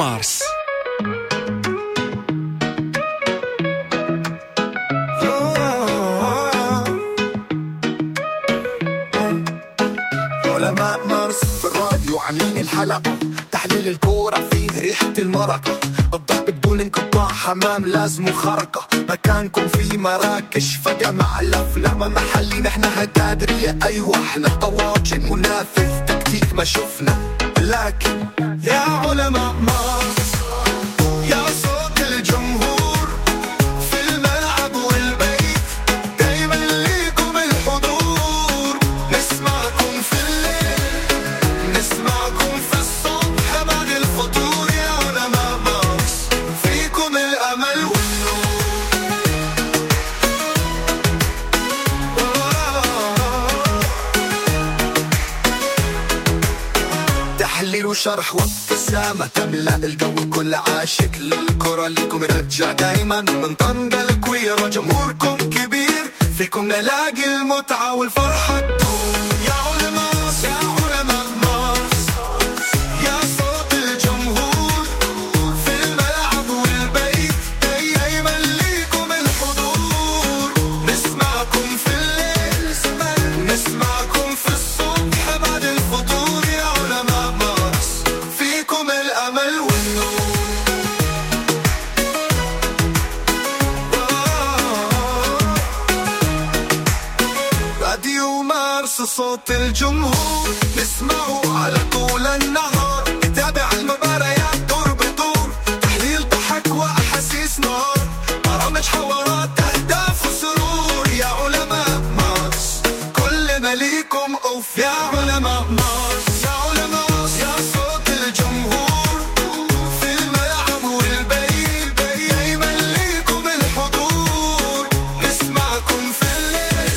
مارس. علماء مارس في الراديو عاملين الحلقة، تحليل الكورة فيه ريحة المرقة، الضرب بدون انقطاع، حمام لازم خرقة، مكانكم في مراكش فجأة مع الأفلام محلي، نحن هتادرية، أيوة احنا طواجن منافذ تكتيك ما شفنا، لكن يا علماء مارس يا صوت الجمهور في الملعب والبيت، دايما ليكم الحضور، نسمعكم في الليل نسمعكم في الصبح بعد الفطور، يا علماء مارس فيكم الأمل والنور. تحليل وشرح وابتسامة تملأ الجو، كل عاشق للكرة لكم رجع دايما من طنجة الكويرة، جمهوركم كبير فيكم نلاقي المتعة والفرحة تدوم. يا علماء يا علماء مارس يا صوت الجمهور في الملعب والبيت، دايما ليكم الحضور، نسمعكم في الليل نسمعكم في الصبح بعد الفطور، يا علماء مارس فيكم الأمل والنور. راديو مارس صوت الجمهور، نسمعه على طول النهار، نتابع المباريات دور بدور، تحليل ضحك وأحاسيس نار، برامج حوارات أهداف وسرور، يا علماء مارس كلنا ليكم أوف، يا علماء مارس يا علماء يا صوت الجمهور في الملعب والبيت، دايما ليكم الحضور، نسمعكم في الليل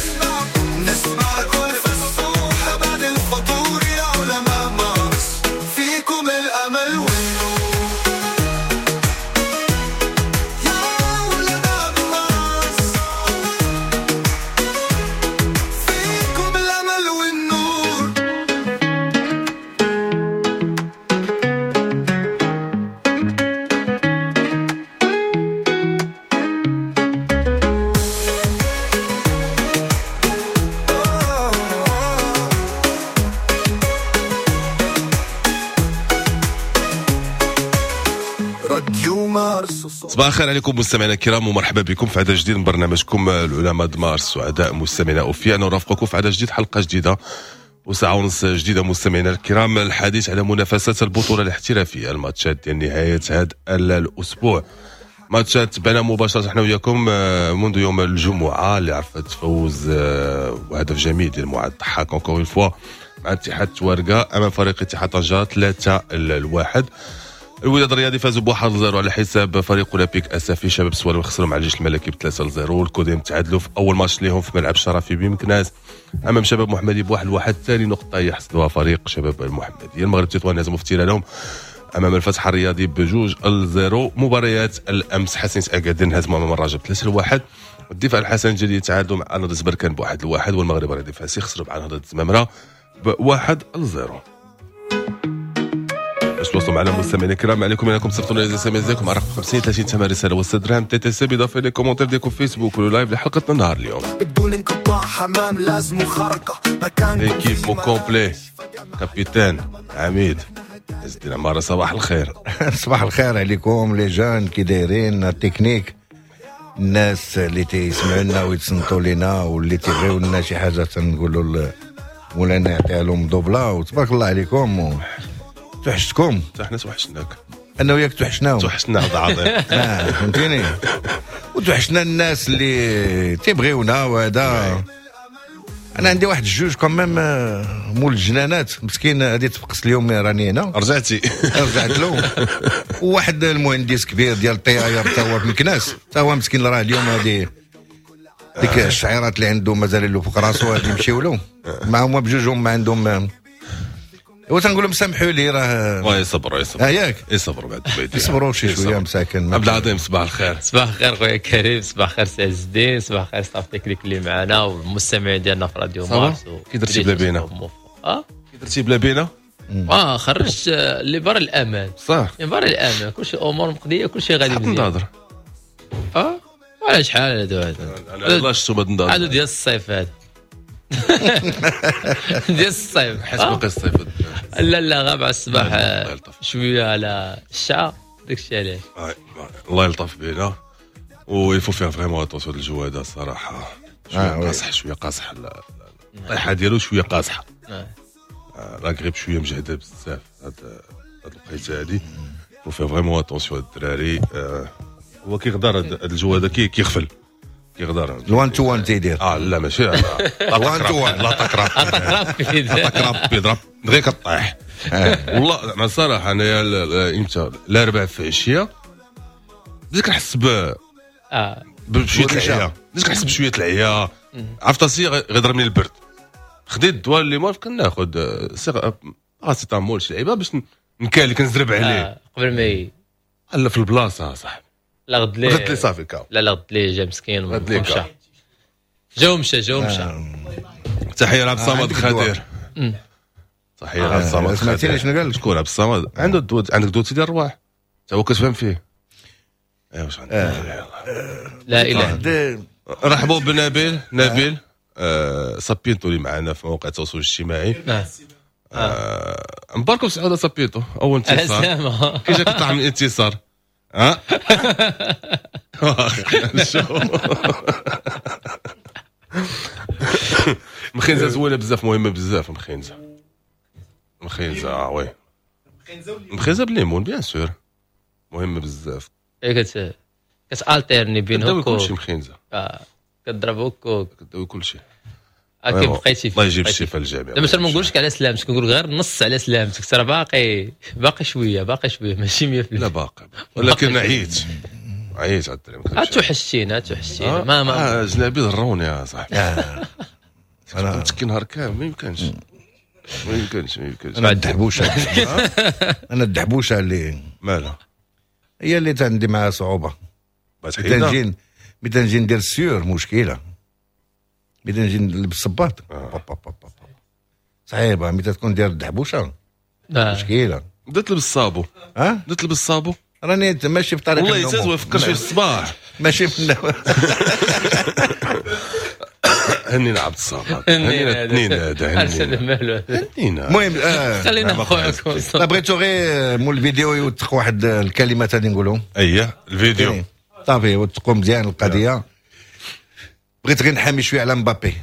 نسمعكم في الصبح بعد الفطور، يا علماء مارس فيكم الأمل والنور. يا علماء مارس فيكم الأمل والنور. راديو مارس. صباح الخير عليكم مستمعينا الكرام، ومرحبا بكم في عدد جديد من برنامجكم العلماء د مارس. سعداء مستمعينا اوفياء نرافقكم في عدد جديد، حلقة جديدة وساعة ونص جديدة مستمعينا الكرام، الحديث على منافسات البطولة الاحترافية، الماتشات ديال نهاية هذا الاسبوع، ماتشات بنا مباشرة احنا وياكم منذ يوم الجمعة اللي عرفت فوز وهدف جميل ديال معاذ ضحاك encore une fois مع اتحاد توارقه امام فريق اتحاد طنجه 3-1. الوداد الرياضي فازوا ب1-0 على حساب فريق اولمبيك اسفي، شباب الصوالح خسروا مع الجيش الملكي ب3-0، الكوديم تعادلوا في اول ماتش ليهم في ملعب الشرفي بمكناس امام شباب محمدي ب1-1، ثاني نقطة يحصدوها فريق شباب المحمدية. المغرب التطواني هزموا في terrain هم امام الفتح الرياضي ب2-0. مباريات الامس حسنية اكادير هزموا امام الرجاء ب3-1، الدفاع الحسن الجديد تعادلوا مع نهضة بركان ب1-1، والمغرب الرياضي فاسي خسروا مع نهضة زمامرة ب1-0. باش توصلوا معنا مستمعينا الكرام، عليكم انكم تصيفطوا لنا SMS ديالكم على رقم 50 30 8 رسالة وست درهم TTC، بالاضافة الى commentaire ديالكم في فيسبوك و live لحلقتنا النهار اليوم. بدون انقطاع حمام لازم خرقه، مكانكم l'équipe au complet، capitaine عميد عز الدين عمارة، صباح الخير. صباح الخير عليكم les gens، كي دايرين التكنيك، الناس اللي تيسمعوا لنا ويتصنتوا لنا واللي تيبغيو لنا شي حاجة تنقولوا مولانا يعطيها لهم دوبلا، وتبارك الله عليكم توحشتكم. حتى حنا توحشناك، انا وياك توحشناهم، توحشنا عبد العظيم. فهمتيني، وتوحشنا الناس اللي تيبغيونا وهذا. انا عندي واحد الجوج quand même مول الجنانات مسكين، غادي تفقس اليوم راني هنا. رجعتي؟ رجعت له. وواحد المهندس كبير ديال الطياير تا هو في مكناس، تا هو مسكين راه اليوم هادي ديك الشعيرات اللي عنده مازال له فوق راسو غادي يمشيو له، مع هما بجوجهم ما عندهم. وتنقول لهم سامحوا لي راه الله يصبروا يصبروا ياك يصبروا بعد البيت، يصبروا شي شوية مساكن. عبد العظيم صباح الخير. صباح الخير خويا كريم، صباح الخير سي عز الدين، صباح الخير staff technique اللي معنا والمستمعين ديالنا في راديو مارس. كي درتي بلا بينا؟ كي درتي بلا بينا؟ خرجت اللي بر الامان. صح، بر الامان، كلشي امور مقضية، كلشي غادي مزيان. نضادر ولا شحال هادو هذا لا شفتو هاد النضادر هادو ديال الصيف، هذا ديال الصيف، حيت باقي الصيف. لا لا غاب على الصباح شوية على الشعا، داكشي علاش. الله يلطف بينا و il faut faire vraiment attention الجو هذا الصراحة شوية قاصح، شوية قاصح الطيحه ديالو، شوية قاصحة. la grippe شوية مجهده بزاف هاد الوقيته هادي، faut faire vraiment attention الدراري. هو كيغدر هاد الجو هذا، كيغفل، كيغدر. ال one to one تيدير. لا ماشي one to one، l'attaque rapide، l'attaque rapide دغيا كطيح. والله مع الصراحة انايا امتى الاربع في العشية بديت كنحس بشوية العيا، بديت كنحس بشوية العيا، عرفت راسي غيضربني البرد. خديت الدواء اللي موالف كناخذ باراسيتامول شي لعيبة باش نكالي كنزرب عليه قبل ما لا في البلاصة صاحبي. لا غد لي، غد لي صافي KO. لا لا غد لي جا مسكين غد لي مشى، جا مشى جا مشى. تحية لعبد الصمد خدير، تحية لعبد الصمد. سمعتيني شنو قال لك؟ شكون عبد الصمد؟ عنده الدواء، عندك دواء ديال الرواح حتى هو كتفهم فيه. ايوا واش عندك؟ لا اله. رحبوا بنبيل، نبيل سابينتو اللي معنا في مواقع التواصل الاجتماعي. مبارك سعود سابينتو، اول انتصار. كي جاك طعم الانتصار؟ ها مخينزه زوينة بزاف، مهمة بزاف مخينزه، مخينزه oui، مخينزه بالليمون bien sûr، مهمة بزاف. كت alterner بين هوكو كلشي مخينزه، كضرب هوكو كداوي كلشي. اكيد بقيتي الله يجيب الشفاء للجميع. دابا ما نقولش على سلامتك، نقول غير نص على سلامتك، ترى باقي باقي شوية، باقي شوية ماشي 100%. لا باقي، ولكن عييت عييت على الدراري. توحشتينا توحشتينا. ما جنابي ضروني يا صاحبي. انا متكي نهار كامل، ما يمكنش ما يمكنش ما يمكنش. انا الدحبوشه، انا الدحبوشه اللي مالها هي اللي عندي معها صعوبة. ملي تنجي ندير السيور مشكلة، ملي تنجي نلبس الصباط صعيبة، ملي تكون داير الدحبوشه مشكلة. بدات تلبس الصابو. بدات تلبس الصابو. راني ماشي في طريق والله يتاز فكر في الصباح ماشي في هنينا عبد الصمد، هنينا اثنين هذا، هنينا. المهم خلينا خويا، لا بغيتو غير مول الفيديو يوثق واحد الكلمات غادي نقولهم. اييه الفيديو صافي وثقوا مزيان القضية. بغيت غير نحامي شوية على مبابي.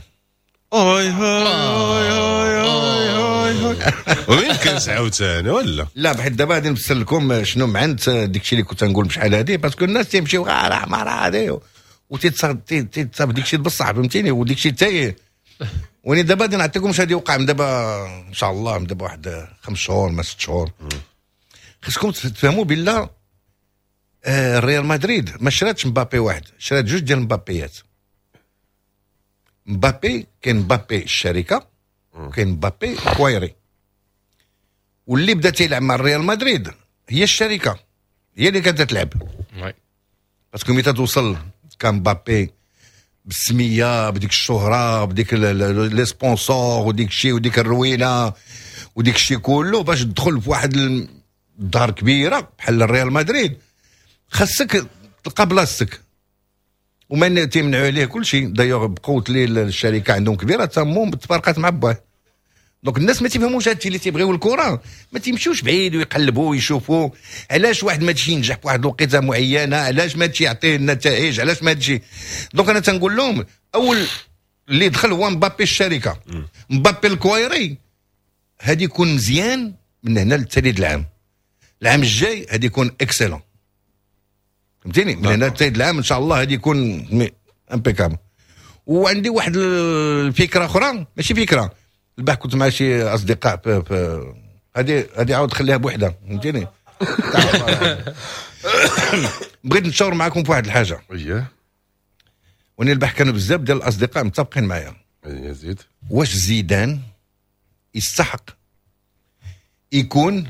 اي هاي هاي هاي هاي وين كنت عاوتاني ولا لا؟ بحيت دابا غادي نفسر لكم شنو معنت داكشي اللي كنت نقول بشحال هادي، parce que الناس تيمشيو غير ما راه هادي وتيتصاب داكشي بصح، فهمتيني؟ وداكشي حتى وني دابا غادي نعطيكم اش غادي يوقع من دابا ان شاء الله، من دابا واحد 5 شهور ما 6 شهور. خصكم تفهموا بالله الريال مدريد ما شراتش مبابي واحد، شرات جوج ديال مبابيات. مبابي كاين مبابي الشركة وكاين مبابي كوايري، واللي بدا تيلعب مع الريال مدريد هي الشركة، هي اللي كانت تلعب. parce que ملي توصل كان مبابي بالسميه بديك الشهرة بديك les sponsors وديك الشيء وديك الروينه وديك الشيء كله، باش تدخل في واحد الدار كبيرة بحال الريال مدريد خاصك تلقى بلاصتك، وما تيمنعوا عليه كل شيء. d'ailleurs بقوت لي الشركة عندهم كبيرة تموم تفارقات مع باه. donc الناس ما تيفهموش هادشي، اللي تيبغيو الكره ما تيمشيوش بعيد ويقلبوا ويشوفوا علاش واحد ما تيجي ينجح في واحد الوقيته معينة، علاش ما تيعطيه النتائج، علاش ما تجي. donc انا تنقول لهم اول اللي دخل هو مبابي الشركة، مبابي الكوايري هادي يكون مزيان من هنا للتالي العام، العام الجاي هادي يكون excellent، فهمتيني؟ من هنا للتالي العام ان شاء الله هادي يكون impeccable. وعندي واحد الفكرة اخرى، ماشي فكرة، البارح كنت مع شي اصدقاء هذه عاود خليها بوحده، فهمتيني؟ بغيت نتشاور معكم في واحد الحاجة. اييه. وني البارح كانوا بزاف ديال الاصدقاء متفقين معايا. اييه زيد. واش زيدان يستحق يكون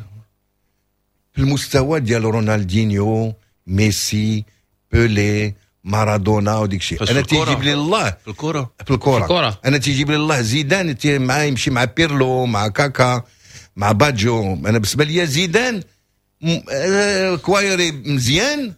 في المستوى ديال رونالدينيو، ميسي، بيلي، مارادونا وديك الشيء؟ انا تيجيب لي الله في الكره، في الكره انا تيجيب لي الله زيدان مع يمشي مع بيرلو، مع كاكا، مع بادجو. انا بالنسبة لي زيدان كوايري مزيان،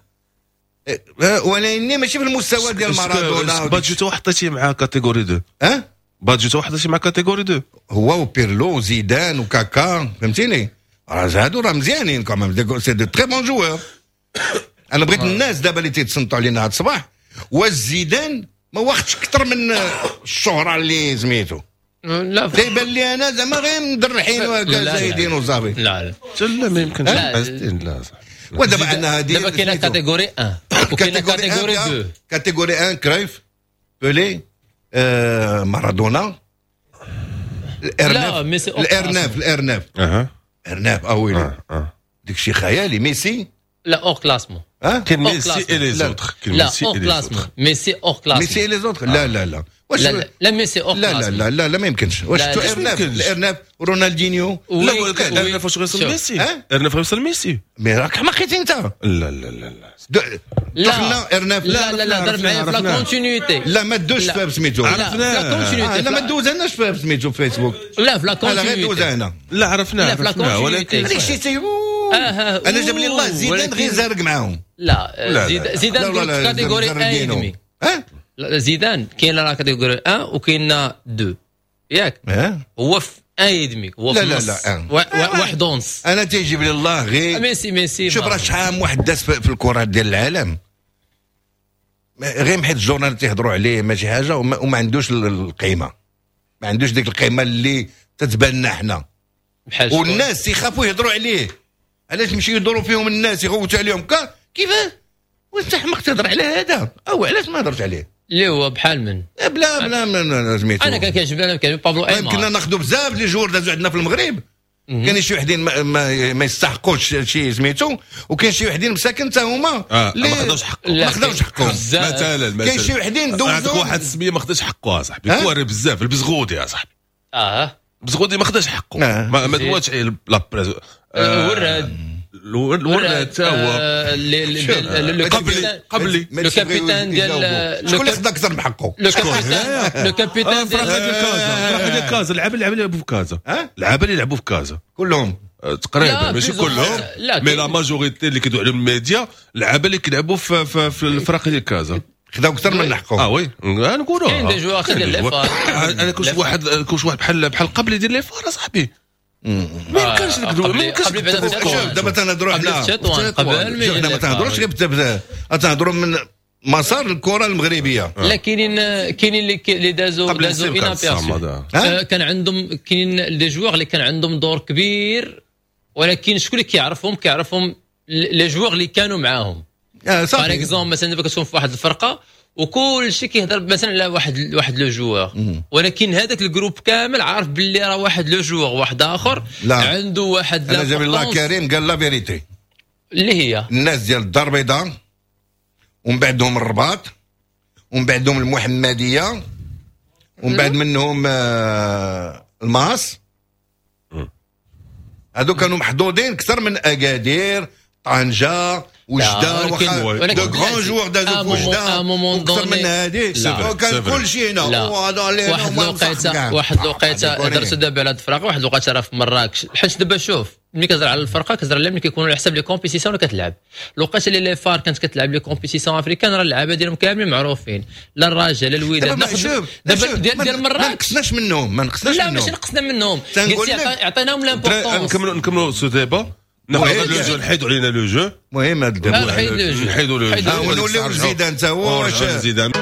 ولكن ماشي في المستوى ديال مارادونا. بادجو تا حطيتيه مع catégorie 2. ها بادجو تا حطيتيه مع catégorie 2، هو وبيرلو وزيدان وكاكا، فهمتيني؟ راه هادو راه مزيانين quand même، c'est de très bons joueurs. انا بغيت الناس دابا اللي تيتصنتوا علينا هاد الصباح، واش زيدان ما واخدش اكثر من الشهرة اللي سميتو؟ لا، تيبان لي انا زعما غير مدرحين وزايدين وصافي. لا لا ما يمكنش. لا صح. ودابا عندنا هذه دابا كاينه catégorie 1 وكاينه catégorie 2. catégorie 1 كرايف، بولي، مارادونا، لا ميسي، الارناف الارناف ارناف اويلي داك الشيء خيالي. ميسي لا hors classement. كاين ميسي et les autres. لا hors classement، ميسي hors classement، ميسي et les autres. لا لا لا. لا لا ميسي hors لا لا لا لا لا ما يمكنش. واش تو ارناف الارناف رونالدينيو؟ لا ولكن ارناف واش غيوصل ميسي؟ ارناف غيوصل ميسي. mais راك حماقيتي انت. لا لا لا لا دخلنا ارناف. لا لا لا ضرب معايا في la continuité. لا ما دوش في سميتو. عرفنا. لا ما دوزناش في سميتو في فيسبوك. لا في la continuité. لا غير دوزنا. لا عرفنا عرفنا، ولكن هذاك الشيء تي انا جاب لي الله زيدان غير زارق معاهم. لا زيدان catégorie 1. زيدان كاين la catégorie 1 وكاين 2 ياك، هو في 1.5، هو في لا لا لا 1.5. انا تيجيب لي الله غير ميسي ميسي. شوف راه شحال واحد داز في الكره ديال العالم غير حيت ال journal تيهضروا عليه ماشي حاجة، وما عندوش القيمة، ما عندوش ديك القيمة اللي تتبان لنا حنا، والناس تيخافوا يهضروا عليه. علاش يمشيو يدوروا فيهم الناس يغوتوا عليهم؟ كيفاه وانت حمق تهضر على هذا؟ او علاش ما هضرت عليه؟ اللي هو بحال من بلا بلا من سميتو. انا كان كيعجبني، انا كان بابلو ايمار. كنا ناخذوا بزاف les joueurs دازو عندنا في المغرب، كاين شي وحدين ما يستحقوش شي سميتو، وكاين شي وحدين مساكن حتى هما ما خداوش حقهم. ما خداوش حقهم. مثلا كاين شي وحدين دوزو واحد السمية ما خداش حقه اصاحبي، كواري بزاف البزغودي اصاحبي. البزغودي ما خداش حقه، ما دواتش عليه la presse. الوراد الوراد تا هو قبلي le capitaine ديال شكون اللي خدا اكثر من حقه؟ le capitaine ديال فرقه ديال كازا، اللعابه اللي لعبوا في كازا، اللعابه اللي لعبوا في كازا كلهم تقريبا، ماشي كلهم mais la majorité اللي كيدوي عليهم الميديا، اللعابه اللي كيلعبوا في الفرق ديال كازا خداو اكثر من حقهم. oui نقولوا كاين des joueurs ديال les FAR. انا كنت واحد بحال قبلي ديال les FAR اصاحبي. ما يمكنش نكذبوا، ما يمكنش. شوف دابا تنهضروا حنا حنا ما تنهضروش غير تنهضروا من مسار الكره المغربية. لا كاينين اللي دازو inaperçus، كان عندهم كاينين des joueurs اللي كان عندهم دور كبير، ولكن شكون اللي كيعرفهم؟ كيعرفهم les joueurs اللي كانوا معاهم. par exemple مثلا دابا كتكون في واحد الفرقة وكل شيء كيهضر مثلا على واحد le joueur، ولكن هذاك ال groupe كامل عارف باللي راه واحد le joueur واحد اخر عنده واحد. لا جاب الله كريم قال la vérité اللي هي الناس ديال الدار البيضاء ومن بعدهم الرباط ومن بعدهم المحمدية ومن بعد منهم الماس، هادو كانوا محظوظين اكثر من اكادير، طنجه، وجده. de grands joueurs دازو في وجده اكثر من هادي، كان كلشي هنا. واحد الوقيته هضرت دابا على هاد الفرقة، واحد الوقيته راه في مراكش، حيت دابا شوف ملي كتهضر على الفرقة كتهضر على ملي كيكونوا على حساب les compétitions اللي كتلعب. الوقيته اللي les FAR كانت كتلعب les compétitions africaines راه اللعابه ديالهم كاملين معروفين، لا الرجاء لا الوداد. دابا ديال مراكش ما نقصناش منهم، ما نقصناش منهم. لا ماشي نقصنا منهم، عطيناهم l'importance. نكملوا ce débat، ناخذ le jeu، نحيدوا علينا le jeu. المهم هذا ال débat نحيدوا le jeu ونوليو زيدان تا هو. زيدان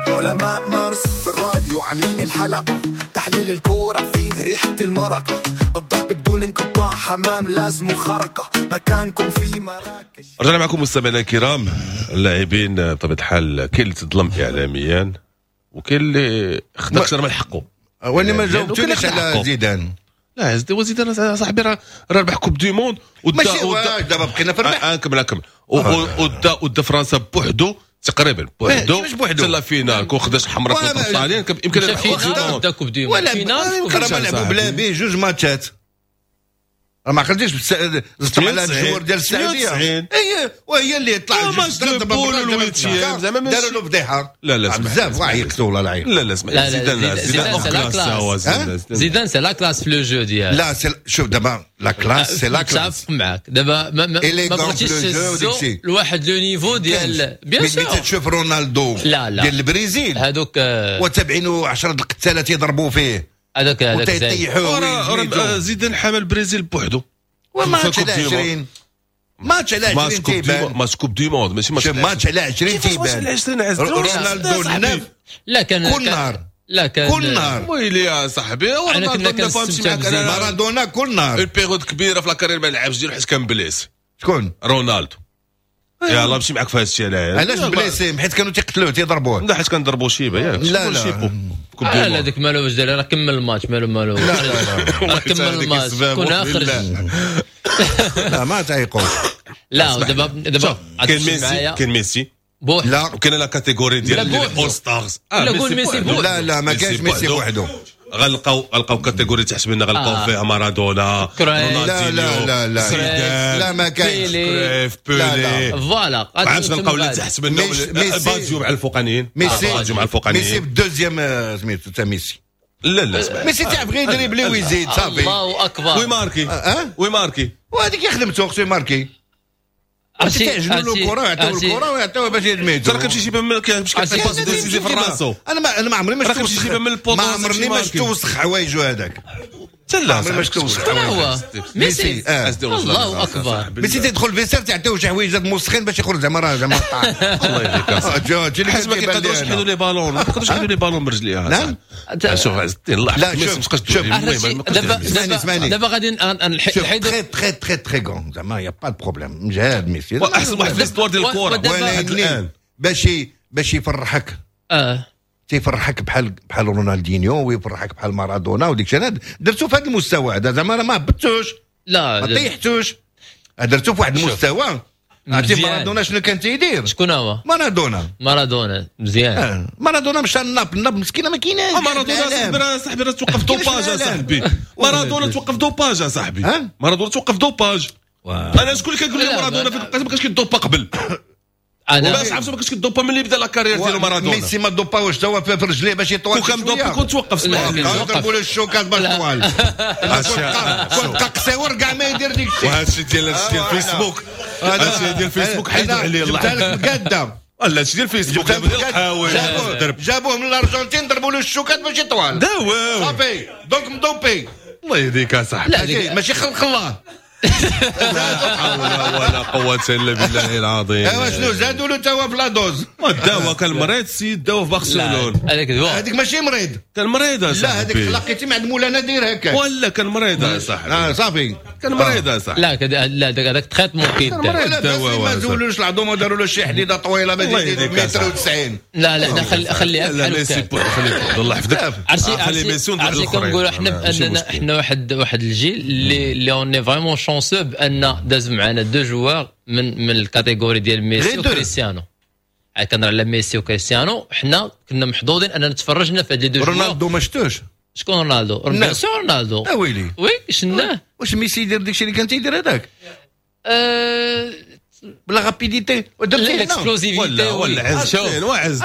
علماء مارس في الراديو عاملين الحلقة، تحليل الكورة فيه ريحة المرق، الضرب بدون انقطاع، حمام لازم خرقة، مكانكم في مراكش. رجعنا معكم مستمعينا الكرام. اللاعبين بطبيعة الحال كاين اللي تظلم إعلاميا وكاين اللي خدا أكثر من حقه. وانا ما جاوبتونيش على زيدان. لا زيدان صاحبي راه ربح coupe du monde ماشي دابا بقينا في الربح. كمل ودا فرنسا بوحدو تقريبا بوحدو حتى la finale، كون خداش حمراء contre الطاليان يمكن coupe du ولا finale. لعبوا بلا بيه جوج ماتشات. ما عقلتيش زدت على ال joueur ديال السعودية، اي وهي اللي طلع match de poules ال huitième زعما داروا له فضيحة. لا لا بزاف وعيقتو والله العيق. لا لا اسمع، زيدان زيدان زيدان c'est la classe في le jeu ديالو. لا شوف دابا la classe c'est la classe، متفق معاك. دابا ما بغيتيش لواحد le niveau ديال bien sûr. ملي تشوف رونالدو ديال البرازيل هذوك وتابعينه 10 القتالات يضربوا فيه هذاك وتيطيحوه. زيدان حمل البرازيل بوحدو وماتش على 20، ماتش على 20 تيبان، match coupe du monde ماشي ماتش على 20 تيبان. رونالدو neuf لا كان كل نهار، لا كان كل نهار ويلي يا صاحبي. رونالدو فهمتي معاك، مارادونا كل نهار une période كبيرة في la carrière ما لعبش ديالو حيت كان blessé. شكون؟ رونالدو. يلاه مشي معاك في هذا الشيء. علاش blessé؟ حيت كانوا تيقتلوه تيضربوه. لا حيت كنضربوا شيبة ياك. لا لا لا ديك مالو واش دار، راه كمل الماتش. مالو مالو لا لا كمل الماتش كون اخرج. لا ما تعيقوش. لا دابا كاين ميسي، كاين ميسي بوحدو. لا وكاين la catégorie ديال all stars. لا قول ميسي بوحدو. لا لا ما كاينش ميسي بوحدو. غنلقاو catégorie تحت منا غنلقاو فيها مارادونا، لا لا لا لا لا ما كاينش كريف، بيلي، voilà. عرفت نلقاو اللي تحت منهم بازيو مع الفوقانيين، ميسي مع الفوقانيين، ميسي بال deuxième سميتو تاع ميسي. لا لا اسمع، ميسي تعرف غير يدريبلي ويزيد صافي. الله اكبر. ويماركي ويماركي، وهذيك خدمته خصو يماركي. تعجنوا له الكره ويعطيوه الكره ويعطيوه باش يدميتو. ترى كيمشي يجيبها من كيمشي كيعطي passe décisive في راسو. انا ما عمري ما شفت كيمشي يجيبها من ال poteau، ما عمرني ما شفت وسخ حوايجو هذاك. لا ما شفت وسخ حوايجو ميسي. الله اكبر. ميسي تيدخل ال vestiaire تعطيوه شي حوايجات موسخين باش يخرج زعما راه زعما طاح. الله يهديك. حيت ما كيقدروش يحيدوا les ballons، ما كيقدروش يحيدوا les ballons برجليها. نعم شوف عز الدين الله لا شوف دابا دابا غادي نحيدوا très très très très grand زعما y a pas de problème مجهد ميسي احسن واحد في l'histoire ديال الكره. باش يفرحك تيفرحك بحال رونالدينيو ويفرحك بحال مارادونا وديك الشيء. درتو في هذا المستوى هذا زعما راه ما هبطتوش، لا ما طيحتوش، درتو في واحد المستوى. عرفتي مارادونا شنو كان تيدير؟ شكون هو؟ مارادونا مزيان. مارادونا مشى للناب، الناب مسكينه ما كايناش. مارادونا صاحبي راه توقف dopage صاحبي. مارادونا توقف dopage صاحبي. مارادونا توقف dopage. انا شكون اللي كنقول لي مارادونا في الوقت ما كانش كيدوبا قبل؟ انا باش عرفتو ما كانش كيدوبا ملي بدا la carrière ديالو مارادونا. ميسي ما دوباوش تا هو في رجليه باش يطوال. كون كان دوبا كون توقف. سمح لي ضربوا له الشوكات باش طوال. كون بقى قصير كاع ما يدير ديك الشيء. وهذا الشيء ديال الفيسبوك، هذا الشيء ديال الفيسبوك حيدوا عليه. الله جبتها لك مقاده. لا هادشي ديال الفيسبوك جابوه من الارجنتين ضربوا له الشوكات باش يطوال. داوه صافي donc مدوبي. الله يهديك يا صاحبي. ماشي خلق الله. لا حول ولا قوة إلا بالله العظيم. ايوا شنو زادوا له توا في la dose. داوا كان مريض السيد، داوه في برشلونة. هذيك ماشي مريض، كان مريض. لا هذيك تلاقيتي مع مولانا داير هكا. ولا كان مريض يا صاحبي. صافي كان مريض يا صاحبي. لا لا هذاك traitement كيدار. ما زولوش العظومه داروا له شي حديده طويلة ما تزيد 1.90 متر. لا لا خليها لا ميسي خليه الله يحفظك. عرفتي عرفتي كنقولوا احنا باننا احنا واحد الجيل اللي on est vraiment chanceux بان داز معنا deux joueurs من ال catégorie ديال ميسي وكريستيانو. كنهضر على ميسي وكريستيانو، حنا كنا محظوظين اننا تفرجنا في هاد les deux joueurs. رونالدو ما شفتوش. شكون رونالدو؟ bien sûr رونالدو. اويلي oui شناه. واش ميسي يدير داكشي اللي كان تيدير هذاك؟ ب la rapidité ودرتي l'explosivité ولا عز وعز.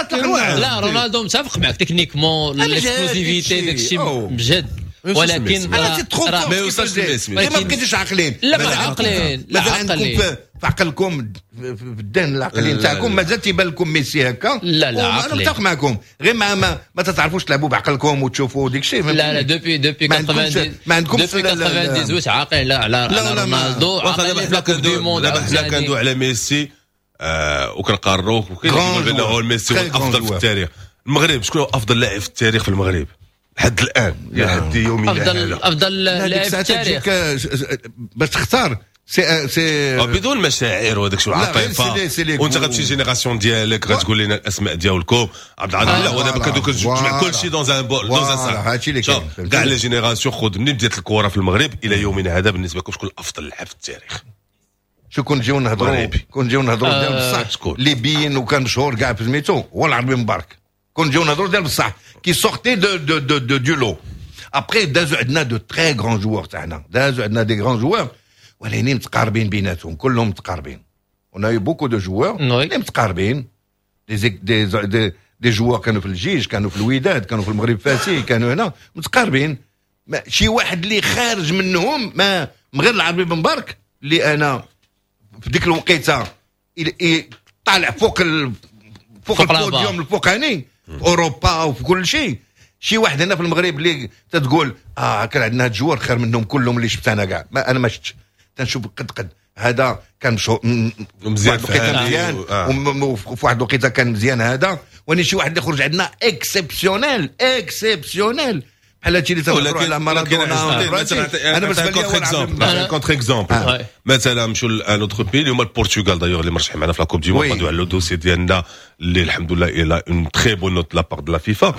لا رونالدو متفق معك techniquement l'explosivité داكشي بجد، ولكن انا ما يوصلش لميسي. ما بقيتوش عاقلين. لا ما عاقلين، لا عندكم في عقلكم في الذهن العقلي نتاعكم مازال تيبان لكم ميسي هكا. لا لا انا متفق معكم، غير ما تتعرفوش تلعبوا بعقلكم وتشوفوا ديك الشيء. لا لا depuis 90 ما عندكمش depuis 98 عاقل على رونالدو. دابا حنا كندوي على ميسي وكنقارنوه وكاين بانه ميسي هو الافضل في التاريخ. المغرب شكون هو افضل لاعب في التاريخ في المغرب لحد الان؟ لحد يومنا هذا افضل لاعب في التاريخ باش تختار c'est بدون مشاعر وهذاك الشيء العاطفة. وانت غتمشي génération ديالك غتقول لنا الاسماء ديالكم عبد العزيز. لا ودابا كندوك تجمع كلشي dans un bol dans un sac. هادشي اللي كاين كاع les générations. خذ منين بدات الكره في المغرب الى يومنا هذا بالنسبة لكم شكون الافضل لاعب في التاريخ؟ شو كون نجيو نهضروا كون نجيو نهضروا ديال بصح اللي بين وكان مشهور كاع في سميتو هو العربي مبارك. كون نجيو نهضروا ديال بصح qui sortait de de de du lot. après دازو عندنا de très grands joueurs، تاعنا دازو عندنا des grands joueurs، ولكن متقاربين بيناتهم، كلهم متقاربين. on a eu beaucoup de joueurs اللي متقاربين، des joueurs كانوا في الجيش، كانوا في الوداد، كانوا في المغرب فاسي، كانوا هنا متقاربين. شي واحد اللي خارج منهم ما من غير العربي بن مبارك اللي انا في ديك الوقيته طالع فوق فوق البوديوم الفوقاني في اوروبا وفي كل شيء. شي واحد هنا في المغرب اللي تتقول كان عندنا هاد ال joueur خير منهم كلهم اللي شفت انا كاع، ما انا ما شفتش. تنشوف قد قد هذا كان مزيان مزيان، وفي واحد الوقيته كان مزيان هذا، واني شي واحد اللي خرج عندنا exceptionnel exceptionnel بحال هادشي اللي تنهضروا على مارادونا. انا بالنسبة لي contre-exemple مثلا نمشيو ل un autre pays اللي هما البرتغال، d'ailleurs اللي مرشحين معنا في la Coupe du Monde على le dossier ديالنا اللي الحمد لله il a une très bonne note la part de la FIFA.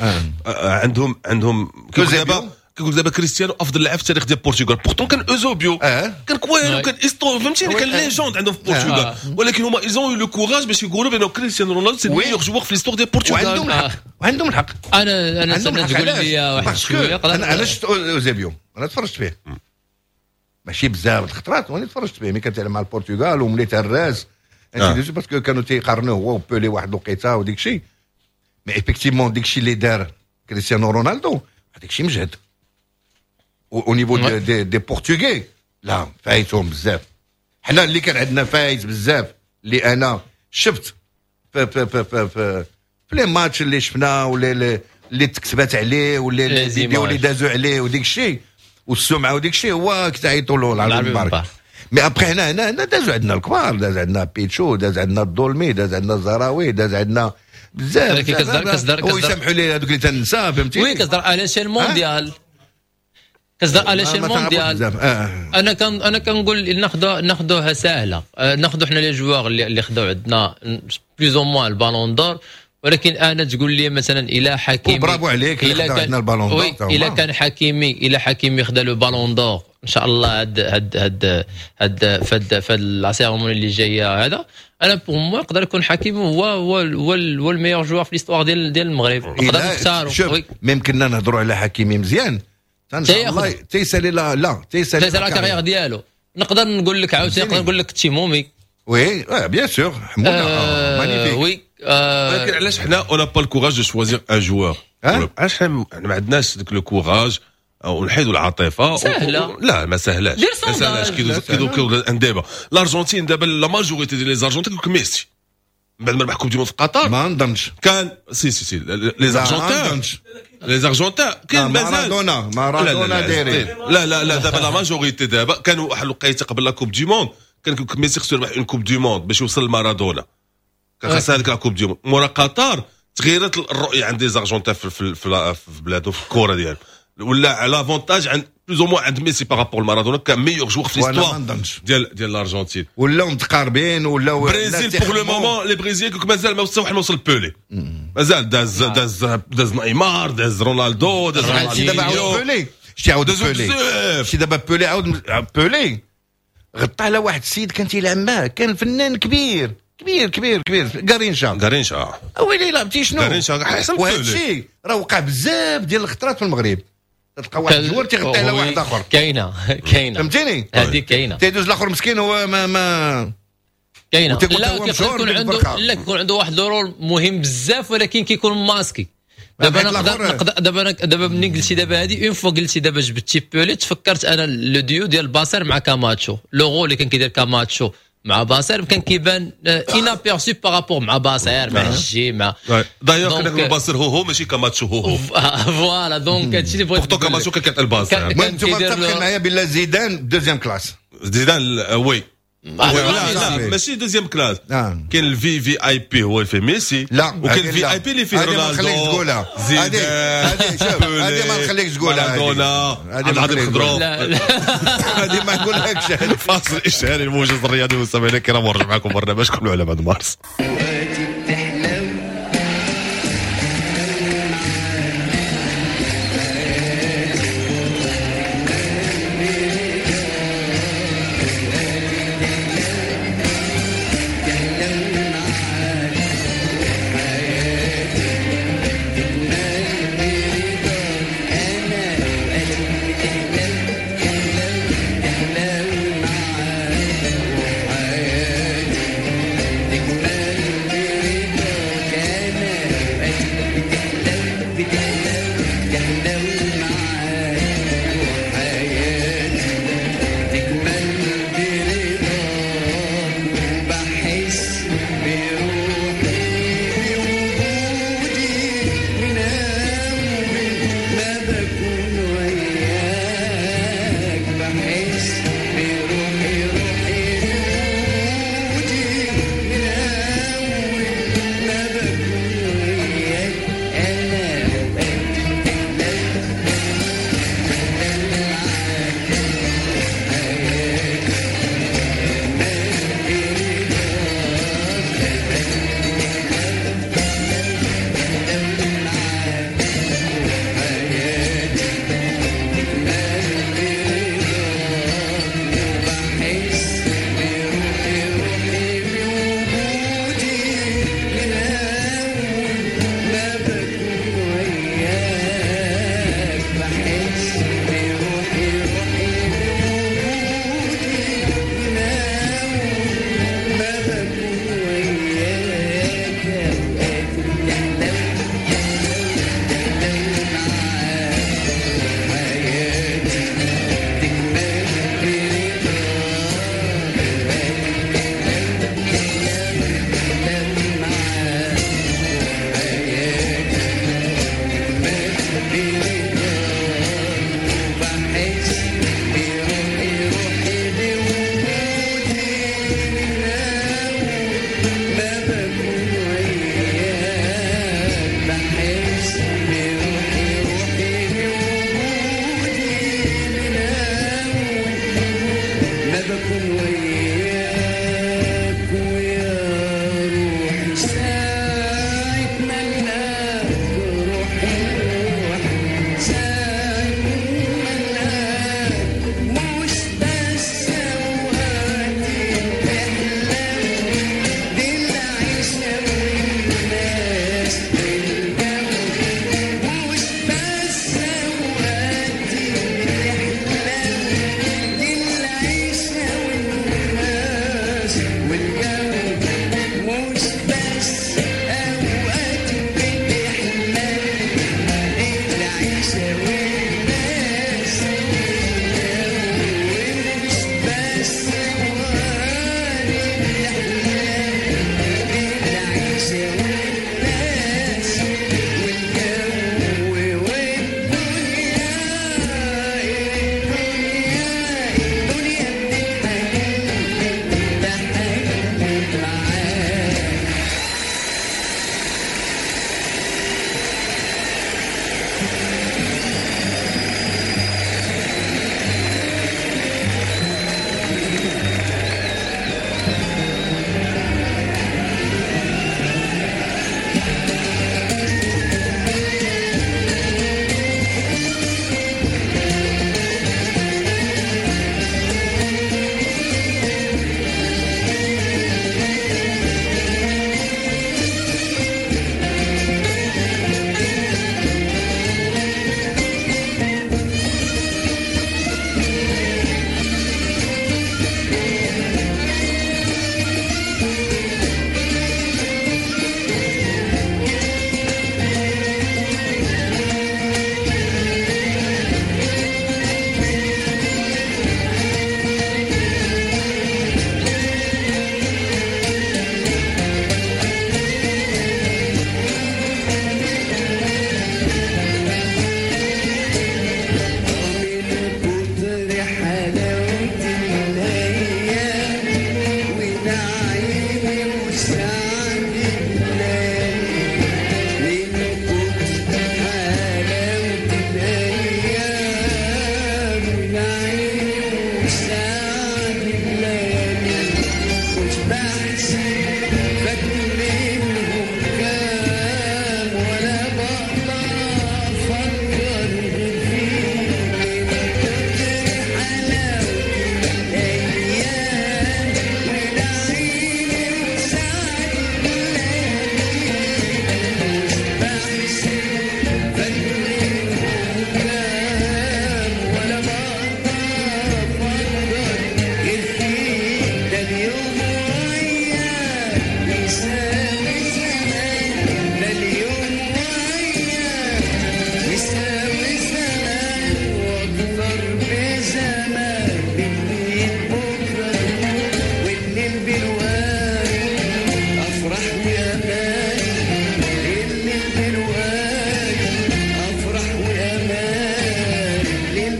عندهم دابا كيقول دابا كريستيانو افضل لاعب في التاريخ ديال البرتغال، pourtant كان اوزوبيو، كان كويرو، كان ايستو، فهمتيني، كان légende عندهم في البرتغال، ولكن هما ils ont eu le courage باش يقولوا بانه كريستيانو رونالدو c'est meilleur joueur في l'histoire ديال البرتغال. وعندهم الحق، وعندهم الحق. انا تقول لي واحد شوية، انا شفت اوزيبيو، انا تفرجت فيه ماشي بزاف الخطرات، وانا تفرجت فيه ملي كان تيلعب مع البرتغال وملي تهرس parce que كانوا تيقارنوه هو وبولي واحد الوقيته وديك الشيء. mais effectivement ديك الشيء اللي دار كريستيانو رونالدو هذاك الشيء مجهد au niveau des Portugais، لا فايتهم بزاف. حنا اللي كان عندنا فايت بزاف اللي انا شفت في في في في, في, في les matchs اللي شفنا ولا اللي تكتبات عليه ولا les vidéos اللي دازوا عليه وديك الشيء والسمعة وديك الشيء، هو كتعيطوا له العربي مبارك. mais après هنا هنا دازوا عندنا الكبار، داز عندنا بيتشو، داز عندنا الدولمي، داز عندنا الزراوي، داز عندنا بزاف. ويسامحوا لي هذوك اللي تنسى، فهمتي. oui كتهضر على l'échelle mondiale، كتهضر على l'échelle mondiale. انا كنقول ناخذوها سهلة، ناخذوا حنا les joueurs اللي خداو عندنا plus ou moins ال Ballon d'Or، ولكن انا تقول لي مثلا الى حكيمي، برافو عليك اللي خدا عندنا ال Ballon d'Or، الى كان حكيمي، الى حكيمي خدا le Ballon d'Or ان شاء الله هاد هاد هاد هاد فهاد فهاد la cérémonie اللي جاية هذا، انا pour moi يقدر يكون حكيمي هو هو هو هو ال meilleur joueur في l'histoire ديال المغرب، نقدر نختارو. même كنا نهضروا على حكيمي مزيان ان شاء الله تيسالي لا لا تيسالي la carrière ديالو. نقدر نقول لك عاوتاني، نقدر نقول لك تيمومي، oui bien sûr حموده magnifique oui. ولكن علاش حنا on n'a pas le courage de choisir un joueur؟ علاش حنا ما عندناش ديك le courage ونحيدوا العاطفة؟ سهلة. لا ما سهلاش، ما سهلاش. كيدوز un débat الارجنتين دابا la majorité ديال les Argentins كيقول ميسي من بعد ما ربح Coupe du Monde في قطر. ما نظنش كان si si si les Argentins، les Argentins كاين مازال مارادونا، مارادونا دايرين. لا لا لا دابا la majorité دابا كانوا واحد الوقيته قبل la Coupe du Monde كان ميسي خصو يربح une Coupe du Monde باش يوصل لمارادونا، كان خاصها هذيك la Coupe du Monde. مورا قطر تغيرت الرؤية عند les Argentins في في في, في بلادهم في الكره ديالهم، ولا l'avantage عند plus ou moins عند ميسي par rapport لمارادونا كان meilleur joueur في l'histoire ديال الارجنتين. ولاو متقاربين ولاو بريزيل pour le moment les Brésiliens مازال ما وصل واحد ما وصل بولي، مازال داز داز داز نيمار، داز رونالدو، داز دابا عاود بولي، شتي عاود بولي، شتي دابا بولي عاود بولي غطى على واحد السيد كان تيلعب معاه، كان فنان كبير كبير كبير كبير، غارينشا. غارينشا ويلي لعبتي شنو غارينشا احسن. وهذا الشيء راه وقع بزاف ديال الخطرات في المغرب، تلقى واحد ال joueur تيغطي على واحد اخر. كاينه كاينه، فهمتيني، هذه كاينه. تيدوز الاخر مسكين هو ما كاينه. لا كيكون عنده، لا كيكون عنده واحد rôle مهم بزاف ولكن كيكون masqué. دابا نقدر دابا دابا ملي قلتي دابا هذه une fois قلتي دابا جبتي بولي، تفكرت انا le duo ديال باسير مع كاماتشو، le rôle اللي كان كيدير كاماتشو مع باسير كان كيبان inaperçu par rapport مع باسير مع الجي مع d'ailleurs كان باسير هو هو ماشي كاماتشو هو هو voilà. donc هادشي اللي بغيت pourtant كاماتشو كان كيعطي الباسير. المهم انتم متفقين معايا بالله زيدان deuxième classe. زيدان oui لا لا ماشي deuxième classe، كاين ال VVIP هو اللي فيه ميسي، وكاين ال VIP اللي فيه رونالدو. هذه ما نخليكش تقولها، هذه شوف هذه ما نخليكش تقولها، مارادونا عبد العظيم خضرو، هذه ما نقولهاكش. فاصل اشهاري الموجز الرياضي مستمعينا الكرام، ونرجع معكم برنامجكم العلماء مارس.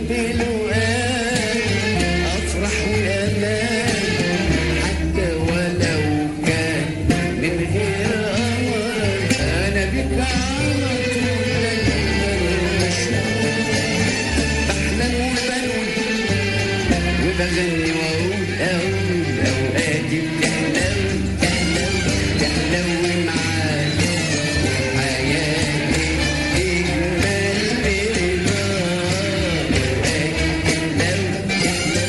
بلقاك افرح وامان حتى ولو كان من غير قمر، انا بك على طول دايما مشغول، بحلم وبقول وبغني واقول اقول اوقاتي بتحلو تحلو تحلو معاك، حياتي تجمل برضاك، اوقاتي تحلو تحلو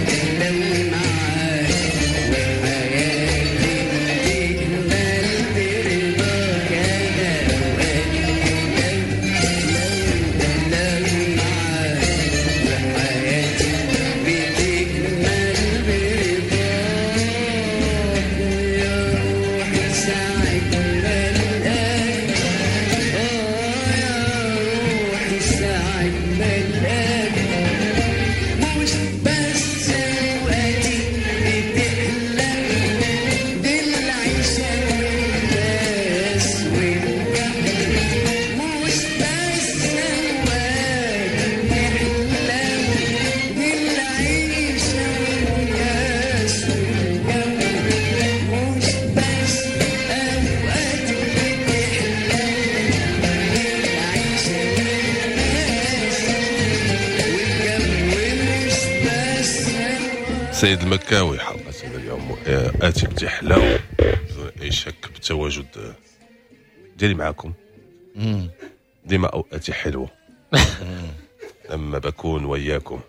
تحلو معاك، وحياتي تجمل برضاك، انا اوقاتي تحلو تحلو تحلو معاك، وحياتي بتجمل برضاك، يا روحي ساعة ما القاك، يا روحي ساعة ما القاك، مش بس اوقاتي بتحلى، دي العيشة والناس والجو، مش بس اوقاتي بتحلى، دي العيشة والناس والجو، مش بس اوقاتي بتحلى، دي العيشة والناس والجو، مش بس. سيد المكاوي حلقة اليوم آتي بتحلى بدون أي شك بالتواجد ديالي معكم ديما أوقاتي حلوة لما بكون وياكم.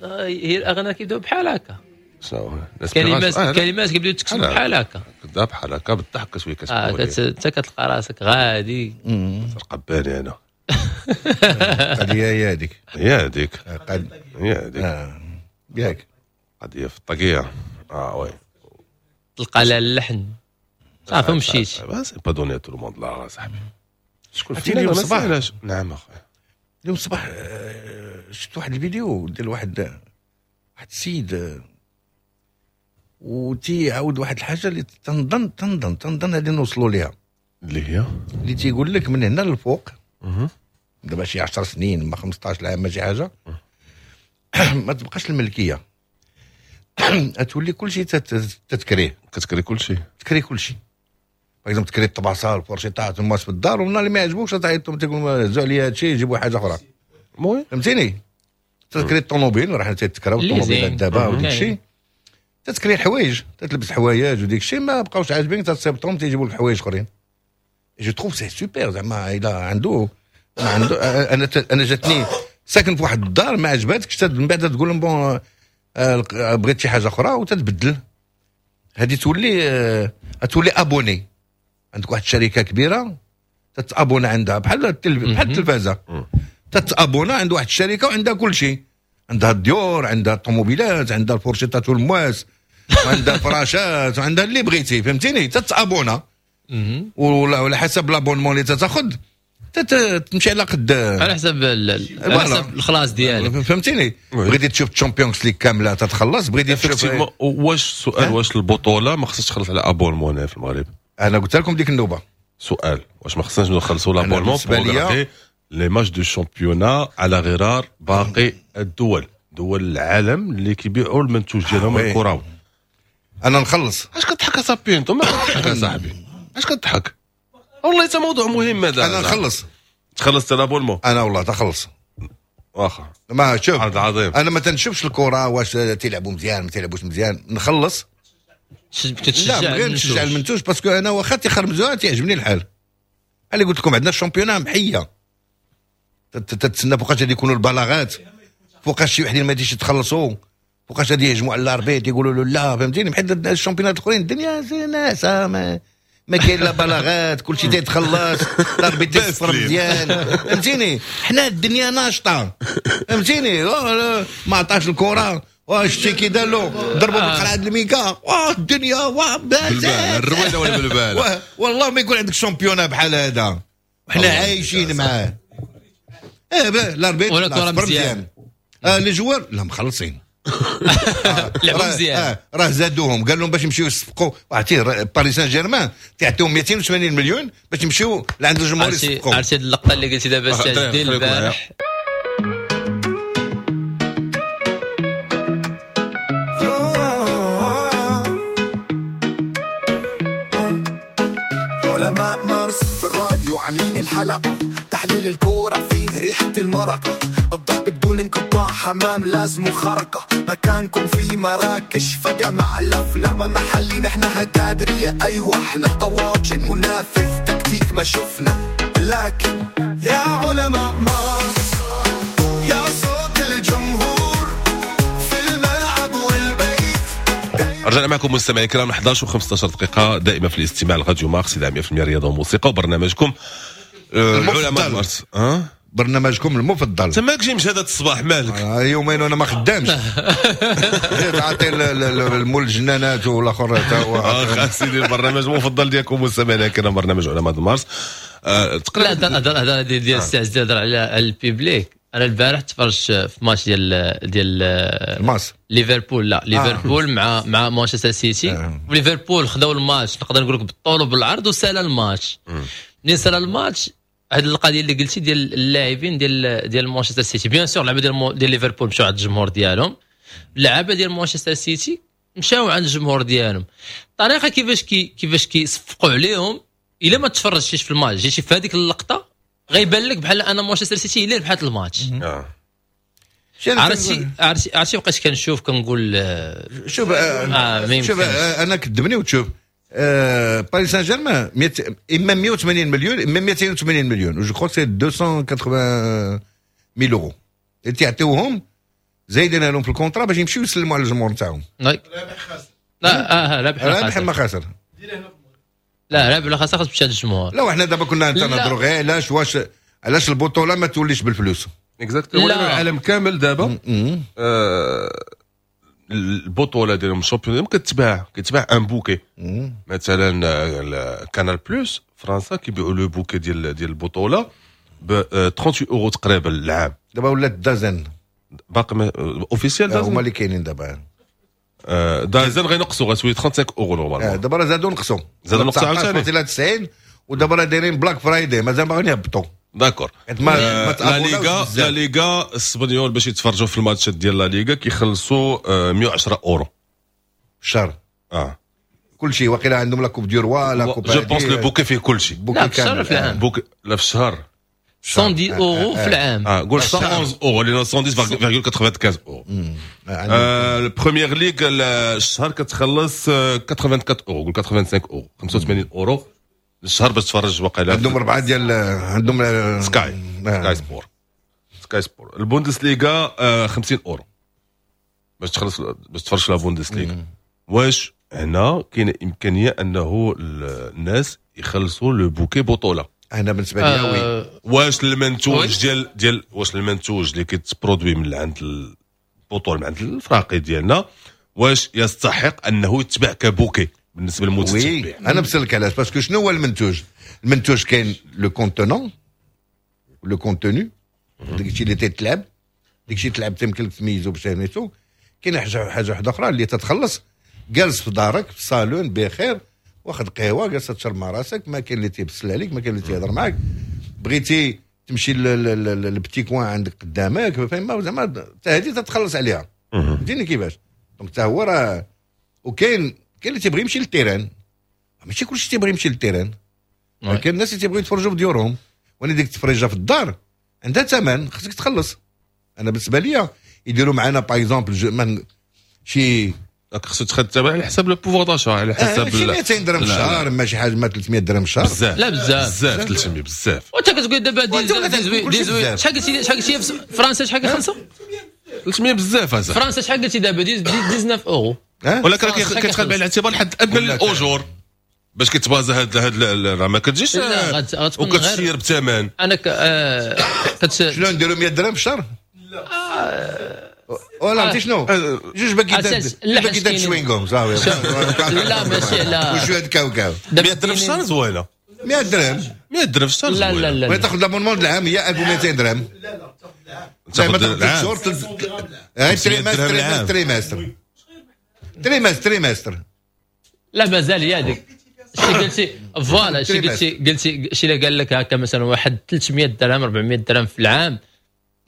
هي الاغاني كيبداو بحال هكا، شنو كلمات كلمات كيبداو تكتب بحال هكا، كتبدا بحال هكا بالضحك شوية كتكون انت كتلقى راسك غادي قباني انا. قضية هي هذيك، هي هذيك، هي هذيك ياك قضية في الطاقية. oui تلقى لها اللحن صافي مشيت. c'est pas donné à tout le monde لا صاحبي. شكون فينا اليوم الصباح؟ نعم اخويا، اليوم الصباح شفت واحد الفيديو ديال واحد السيد وتيعاود واحد الحاجة اللي تنظن تنظن تنظن غادي نوصلوا ليها، اللي هي اللي تيقول لك من هنا للفوق دابا شي 10 سنين ما 15 عام ما شي حاجة ما تبقاش الملكية، تولي كل شيء تتكريه، كتكري كل شيء، تكري كل شيء. par exemple تكري الطباسه الفرشيطات والماس في الدار، ومن اللي ما يعجبوكش تعيطهم تقول هزوا عليا هادشي يجيبوا حاجة اخرى. فهمتيني؟ تكري الطوموبيل، راه حنا تيتكراو الطوموبيلات دابا وديك الشيء، تتكري الحوايج، تتلبس حوايج وديك الشيء ما بقاوش عاجبينك تتصيبطهم تيجيبوا لك حوايج اخرين. je trouve c'est super زعما الا عنده انا جاتني ساكن في واحد الدار ما عجباتكش من بعد تقول لهم bon بغيت شي حاجة اخرى وتتبدل. هذه تولي abonné عندك واحد الشركة كبيرة تت abonner عندها بحال بحال التلفازه، تت abonner عند واحد الشركة وعندها كل شيء، عندها الديور، عندها الطوموبيلات، عندها الفرشيطات والمواس، وعندها الفراشات، وعندها اللي بغيتي، فهمتيني؟ تت abonner ولا حسب l'abonnement اللي تتاخذ تمشي على قد على حسب على حسب الخلاص ديالك، فهمتيني؟ بغيتي تشوف Champions League كاملة تتخلص، بغيتي تشوف. واش السؤال واش البطولة ما خصهاش تخلص على abonnement في المغرب؟ انا قلت لكم ديك النوبة. سؤال واش ما خصناش نخلصوا l'abonnement pour regarder les matchs du championnat على غرار باقي الدول، دول العالم اللي كيبيعوا المنتوج ديالهم الكروي؟ انا نخلص. اش كتضحك اصاحبي انت؟ ما كتضحك اصاحبي، اش كتضحك؟ والله حتى موضوع مهم هذا. انا نخلص. تخلص l'abonnement؟ انا والله تخلص. واخا ما شوف عرض عظيم. انا ما تنشوفش الكره واش تيلعبوا مزيان ما تيلعبوش مزيان، نخلص. تشجع؟ لا غير نشجع المنتوج parce que انا واخا تيخربزوها تيعجبني الحال. اللي قلت لكم عندنا ال championnat محيه، تتسنى فوقاش غادي يكونوا البلاغات، فوقاش شي وحدين ما يجيش يتخلصوا، فوقاش غادي يهجموا على l'arbitre يقولوا له لا، فهمتيني؟ بحال ال championnat الاخرين الدنيا ناس ما كاين لا بلاغات، كلشي تيتخلص، l'arbitre تيصفر مزيان، فهمتيني؟ حنا الدنيا ناشطة، فهمتيني؟ ما عطاش الكره، واش شتي كي دار له ضربوا بالقرعة الميكا، واه الدنيا واه بالبال الروينه ولا بالبال. والله ما يكون عندك championnat بحال هذا، وحنا عايشين معاه. l'arbitre ولا كره مزيان، les joueurs لا مخلصين لعبوا مزيان، راه زادوهم قال لهم باش يمشيو يصفقوا. عرفتي باريس سان جيرمان تعطيهم 280 مليون باش يمشيو لعند الجمهور يصفقوا. عرفتي اللقطة اللي قلتي دابا السي ديال البارح؟ عاملين الحلقة، تحليل الكورة فيه ريحة المرقة، الضرب بدون انقطاع، حمام لازم خرقة، مكانكم في مراكش فجمع الأفلام محلي، نحن هكادرية أيوة احنا طواجن، منافس تكتيك ما شفنا، لكن يا علماء مارس يا صوت الجمهور في الملعب والبيت. رجعنا معكم مستمعي الكرام 11:15 دقيقة دائما في الاستماع لراديو مارس 100% رياضة وموسيقى وبرنامجكم العلماء مارس. برنامجكم المفضل. تماك جاي مشهد الصباح مالك؟ يومين وانا ما خدامش. عاطي المول الجنانات والاخر تا هو. سيدي البرنامج المفضل ديالكم مستمعينا الكرام برنامج علماء مارس. تقريبا لا هضر ديال الساعة هضر على ال public. انا البارح تفرجت في ماتش ديال الماس ليفربول، لا ليفربول مع مانشستر سيتي. وليفربول خداو الماتش نقدر نقول لك بالطول وبالعرض وسال الماتش. منين سال الماتش هذه القضية اللي قلتي ديال اللاعبين ديال مانشستر سيتي، bien sûr اللعابه ديال ليفربول مشاو عند الجمهور ديالهم، اللعابه ديال مانشستر سيتي مشاو عند الجمهور ديالهم. الطريقة كيفاش كيصفقوا عليهم، الا ما تفرجتيش في الماتش جيتي في هذيك اللقطة غيبان لك بحال انا مانشستر سيتي اللي ربحت الماتش. عرفتي بقيت كنشوف كنقول شوف شوف انا كدبني وتشوف باريس سان جيرمان اما 180 مليون اما 280 مليون، je crois c'est 280 mille euros اللي تيعطيوهم زايدين لهم في ال contrat باش يمشيو يسلموا على الجمهور نتاعهم. لا رابح ما خاسر، لا رابح ولا خاسر خاص تمشي عند الجمهور. لا وحنا دابا كنا تنهضروا غير علاش واش علاش البطولة ما توليش بالفلوس. exactement العالم كامل دابا البطولة ديالهم ال championnat كتباع un bouquet. مثلا Canal Plus فرنسا كيبيعوا le bouquet ديال البطولة ب 38 اورو تقريبا العام. دابا ولات DAZN باقي officiel DAZN هما اللي كاينين دابا. DAZN غينقصوا غتولي 35 اورو normalement. دابا راه زادوا نقصوا عاوتاني 90، ودابا راه دايرين Black Friday مازال باغيين يهبطوا. d'accord. لا ليغا الاسبانيول باش يتفرجوا في الماتشات ديال لا ليغا كيخلصوا 110 اورو الشهر. كل شيء واقيلا عندهم la Coupe du Roi la Coupe je pense le bouquet فيه كل شيء. لا في الشهر في العام بوكي لا في الشهر 110 اورو في العام. قول 111 اورو لان 110.95 اورو. البريمير ليغ الشهر كتخلص 84 اورو، قول 85 اورو، 85 اورو الشهر باش تفرج. واقيلا عندهم اربعة ديال عندهم سكاي سبور سكاي سبور. البوندسليغا 50 اورو باش تخلص باش تفرج في البوندسليغا. واش هنا كاين امكانية انه الناس يخلصوا le bouquet بطوله؟ انا بالنسبة لي oui. واش المنتوج ديال واش المنتوج اللي كيت produit من عند البطولة من عند الفراقي ديالنا واش يستحق انه يتباع كبوكي بالنسبة للمتتبع؟ انا بسالك علاش، parce que شنو هو المنتوج؟ المنتوج كاين le contenant le contenu، داكشي اللي تيتلعب، داكشي تلعب تيمكن لك تميزو باش سميتو. كاين حاجة واحدة اخرى اللي تتخلص جالس في دارك في الصالون بخير واخد قهوة جالس تشرب مع راسك، ما كاين اللي تيبسل عليك، ما كاين اللي تيهضر معاك. بغيتي تمشي لل petit coin عندك قدامك، فاهم زعما حتى هادي تتخلص عليها، فهمتيني كيفاش؟ donc حتى هو راه. وكاين اللي تيبغي يمشي لل terrain، ماشي كلشي تيبغي يمشي لل terrain، كاين الناس اللي تيبغيو يتفرجوا في ديورهم، وانا ديك التفريجه في الدار عندها ثمن خصك تخلص. انا بالنسبة ليا يديروا معنا par exemple شي خصو تخدم على حساب le pouvoir d'achat، على حساب شي 200 درهم في الشهر، ماشي حاجة ما 300 درهم في الشهر. بزاف لا بزاف 300 بزاف. وانت كتقول دابا dix-huit شحال قلتي في فرنسا شحال كيخلصوا؟ 300 بزاف هذا. فرنسا شحال قلتي دابا 19 اورو، ولكن كتخدم بعين الاعتبار الحد الادنى للاجور باش كتبازا هاد راه ما كتجيش وكتسير بثمن. انا شنو نديرو 100 درهم في الشهر؟ لا ولا عرفتي شنو؟ جوج باكيتات chewing-gum صافي. لا ماشي لا وشوية كاوكاو. 100 درهم في الشهر زوينة. 100 درهم 100 درهم في الشهر لا لا لا. بغيت تاخذ l'abonnement العام هي 1200 درهم. لا لا تاخذ العام. trimestre trimestre trimestre trimestre. لا مازال هي هذيك شي قلتي voilà شي قلتي شي اللي قال لك هكا مثلا واحد 300 درهم 400 درهم في العام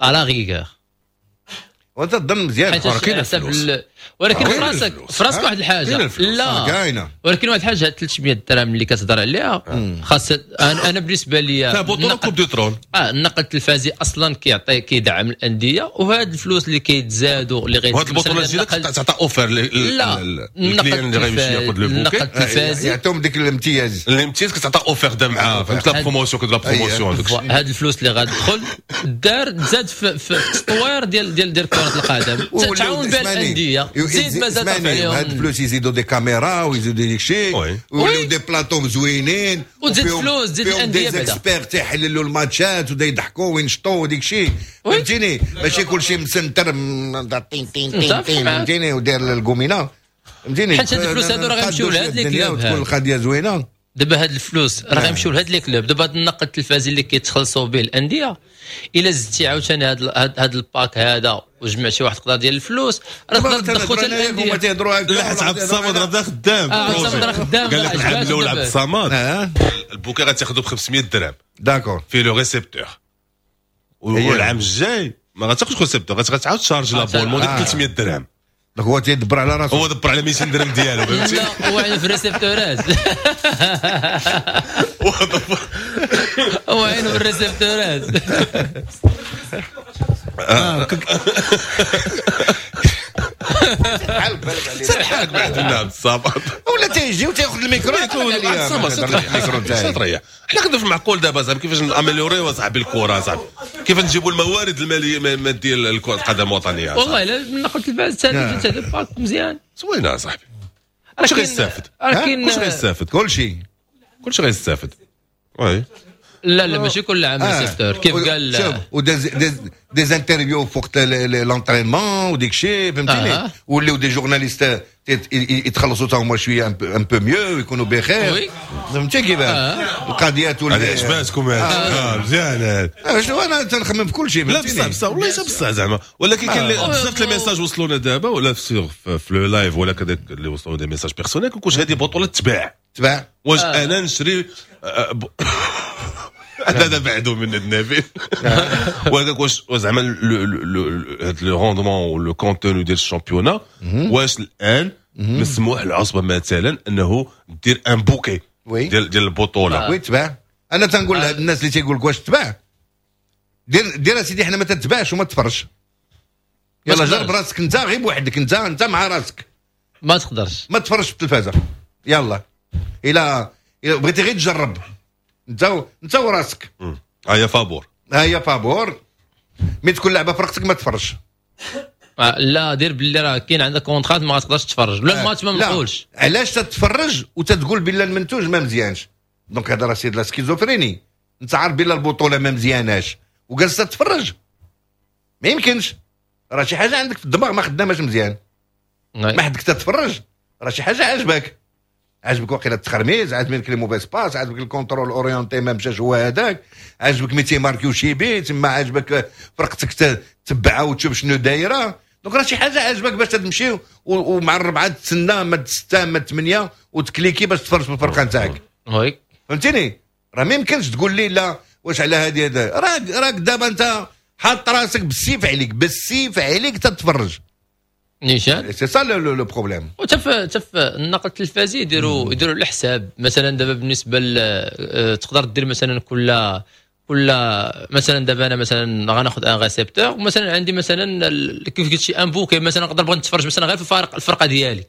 à la rigueur. وانت تظن مزيان راه كاين. ولكن في راسك واحد الحاجة، لا ولكن واحد الحاجة، 300 درهم اللي كتهضر عليها خاص. انا بالنسبة لي بطوله Coupe du Trône، النقل التلفزي اصلا كيعطي كيدعم الاندية، وهاد الفلوس اللي كيتزادوا اللي غير وهاد البطولة الجديدة تعطى offre لل client اللي غيمشي ياخذ le bouquet. النقل التلفزي يعطيهم ديك الامتياز كتعطى offre دا معاه، فهمت؟ la promotion كدير la promotion. هاد الفلوس اللي غتدخل دار تزاد في التطوير ديال ديال ديال كره القدم، تعاون بها الاندية، زيد مازال عليهم هاد الفلوس، يزيدوا des caméras ويزيدوا ديك الشيء ويوليو des plateaux زوينين، وتزيد فلوس تزيد الاندية بعدا des experts تيحللوا الماتشات ودا يضحكوا وينشطوا وديك الشيء، فهمتيني؟ ماشي كلشي مسنتر تين تين تين تين، فهمتيني؟ ودير الكومينا، فهمتيني؟ حيت هاد الفلوس هادو راه غيمشيو لهاد les clubs، وتكون القضية زوينة. دابا هاد الفلوس راه غيمشيو لهاد les clubs. دابا هاد النقل التلفزي اللي كيتخلصوا به الاندية، الا زدتي عاوتاني هاد ال pack هذا وجمعتي واحد القدر ديال الفلوس، راه تقدر تدخل حتى الاندية. لا حيت عبد الصمد راه بدا خدام، عبد الصمد راه خدام. قال لك العام الاول عبد الصمد البوكي غتاخذو ب 500 درهم، d'accord، في le récepteur، والعام الجاي ما غتاخذش récepteur، غتعاود تشارج l'abonnement ديك 300 درهم. donc هو تيدبر على راسو، هو دبر على 200 درهم ديالو، فهمتي؟ لا هو عينو في ال récepteur ات، هو عينو في ال récepteur ات. سير حالك بعد من عبد الصمد، ولا تيجي وتاخذ الميكرو. الميكرو تاعي حنا كنديروا في المعقول دابا صاحبي، كيفاش ن améliorer يو صاحبي الكره صاحبي، كيفاش نجيبوا الموارد المالية المادية لكرة القدم الوطنية. والله الا من نقلت الباز ثاني pack مزيان زوينة صاحبي. كلشي غيستافد، كلشي غيستافد، كلشي غيستافد. oui لا لا ماشي كل عام récepteur كيف قال، و des interviews فوق l'entraînement وديك الشيء، فهمتيني؟ ولاو des journalistes يتخلصوا تا هما شوية un peu mieux، يكونوا بخير، فهمتي كيفاش القضية تولي. عجباتكم هذا مزيان. شنو انا تنخمم في كل شيء، لا بصح بصح والله بصح زعما، ولكن كاين بزاف les messages وصلونا دابا، ولا في le live ولا كذاك اللي وصلوا des messages personnels، كلشي هذه بطوله تباع. واش انا نشري هذا بعدو من النبي وهذاك؟ واش زعما هذا le rendement و le contenu ديال ال championnat، واش الان مسموح العصبة مثلا انه دير un bouquet ديال البطولة؟ oui تباع. انا تنقول لهاد الناس اللي تيقول لك واش تباع، دير اسيدي، حنا ما تتباعش وما تفرش، يلا جرب راسك انت غير بوحدك، انت مع راسك، ما تقدرش ما تفرش في التلفازه. يلا الى بغيتي غير تجرب انت وراسك، هيا فابور، هيا فابور، mais تكون لعبه فرقتك ما تفرش. لا دير باللي راه كاين عندك contrat ما غاتقدرش تفرج ولا الماتش ما مقبولش. علاش تتفرج وتتقول بلا المنتوج ما مزيانش؟ donc هذا راه c'est la schizophrénie. انت عارف بلا البطولة ما مزياناش وجالس تتفرج، ما يمكنش. راه شي حاجة عندك في الدماغ ما خداماش مزيان، ما حدك تتفرج، راه شي حاجة عجبك، عجبك واقيلا التخرميز، عجبك les mauvaises passes، عجبك ال contrôle orienté ما مشاش هو هذاك، عجبك ملي تيماركيو شي بيت، ما عجبك فرقتك تبعها وتشوف شنو دايرة. donc راه شي حاجة عجبك باش تمشي ومع الربعه تسنى ما 6 ما 8 وتكليكي باش تفرج في الفرقة نتاعك. oui فهمتيني؟ راه ما يمكنش تقول لي لا واش على هذه هذا، راك دابا انت حاط راسك بالسيف عليك، بالسيف عليك تتفرج نيشان. c'est ça le problème. وتا في النقل التلفزي يديروا الحساب. مثلا دابا بالنسبة تقدر دير مثلا كل مثلا دابا انا مثلا غناخذ un récepteur، مثلا عندي مثلا كيف قلت شي un bouquet، مثلا نقدر بغيت نتفرج مثلا غير في الفرقة ديالي.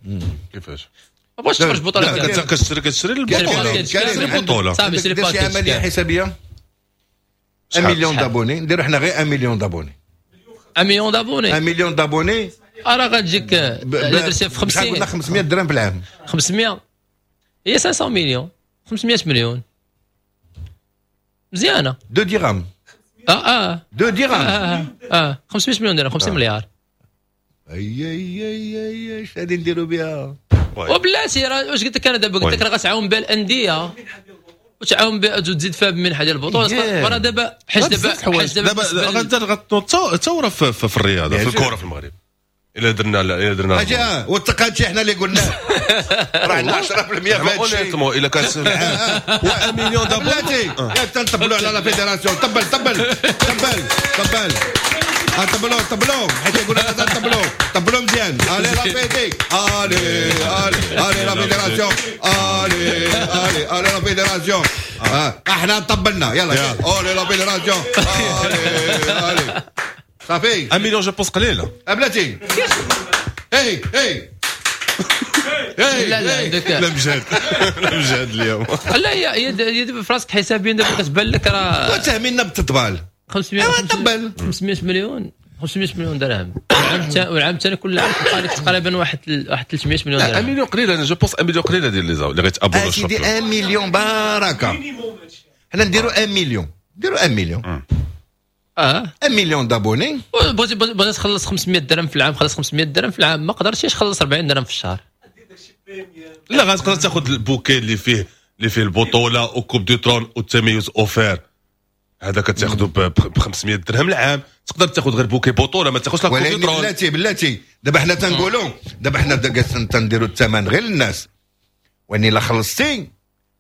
كيفاش؟ ما بغيتش تفرج بطوله. كتشري البطولة، كتشري البطولة صافي، شري pack. شي عملية حسابيه 1 مليون d'abonnés، نديرو حنا غير 1 مليون d'abonnés، 1 مليون d'abonnés، 1 مليون d'abonnés راه غتجيك درتي في 50، قلنا 500 درهم في العام، 500 هي 500 مليون، 500 مليون مزيانه. 2 درهم، 2 درهم، 500 مليون درهم، 50 مليار. اي اي اي اي اش غادي نديرو بها؟ وبلاتي راه واش قلت لك انا دابا، قلت لك راه غتعاون بها الاندية وتعاون بها وتزيد فيها بمنحه ديال البطولة. راه دابا حيت دابا غتنوض ثورة في الرياضة، في الكره في المغرب. الا درنا اجا وثق هادشي حنا اللي قلناه، راه عندنا 10% في هادشي. الا كانت 1 مليون d'abonnés ياك تنطبلوا على la fédération. طبل طبل طبل طبل، طبلوا طبلوا حيت يقولوا هذا مزيان. allez la fédé، allez allez allez la fédération، allez allez allez la fédération. احنا طبلنا، يلا allez la fédération، allez allez. صافي 1 مليون je pense قليله. بلاتي. اي اي لا لا عندك لا مجهد، لا مجهد اليوم. لا هي دابا في راسك حسابيا دابا كتبان لك راه وتهمنا بالتطبال. 500 طبل 500 مليون، 500 مليون درهم. والعام الثاني كل عام تبقى لك تقريبا واحد 300 مليون درهم. 1 مليون قليله، انا je pense 1 مليون قليله ديال les اللي غيتابوناو. سيدي 1 مليون بركة، حنا نديرو 1 مليون، نديرو 1 مليون. 1 مليون d'abonnés. بغيتي تخلص 500 درهم في العام، خلص 500 درهم في العام، ما قدرتيش تخلص 40 درهم في الشهر. لا غتقدر تاخذ البوكي اللي فيه البطولة و coupe du trône والتميز offert، هذا كتاخذه ب 500 درهم العام. تقدر تاخذ غير بوكي بطوله، ما تاخذش la coupe du trône. بلاتي بلاتي، دابا حنا تنقولوا دابا حنا تنديروا الثمن غير للناس، واني الا خلصتي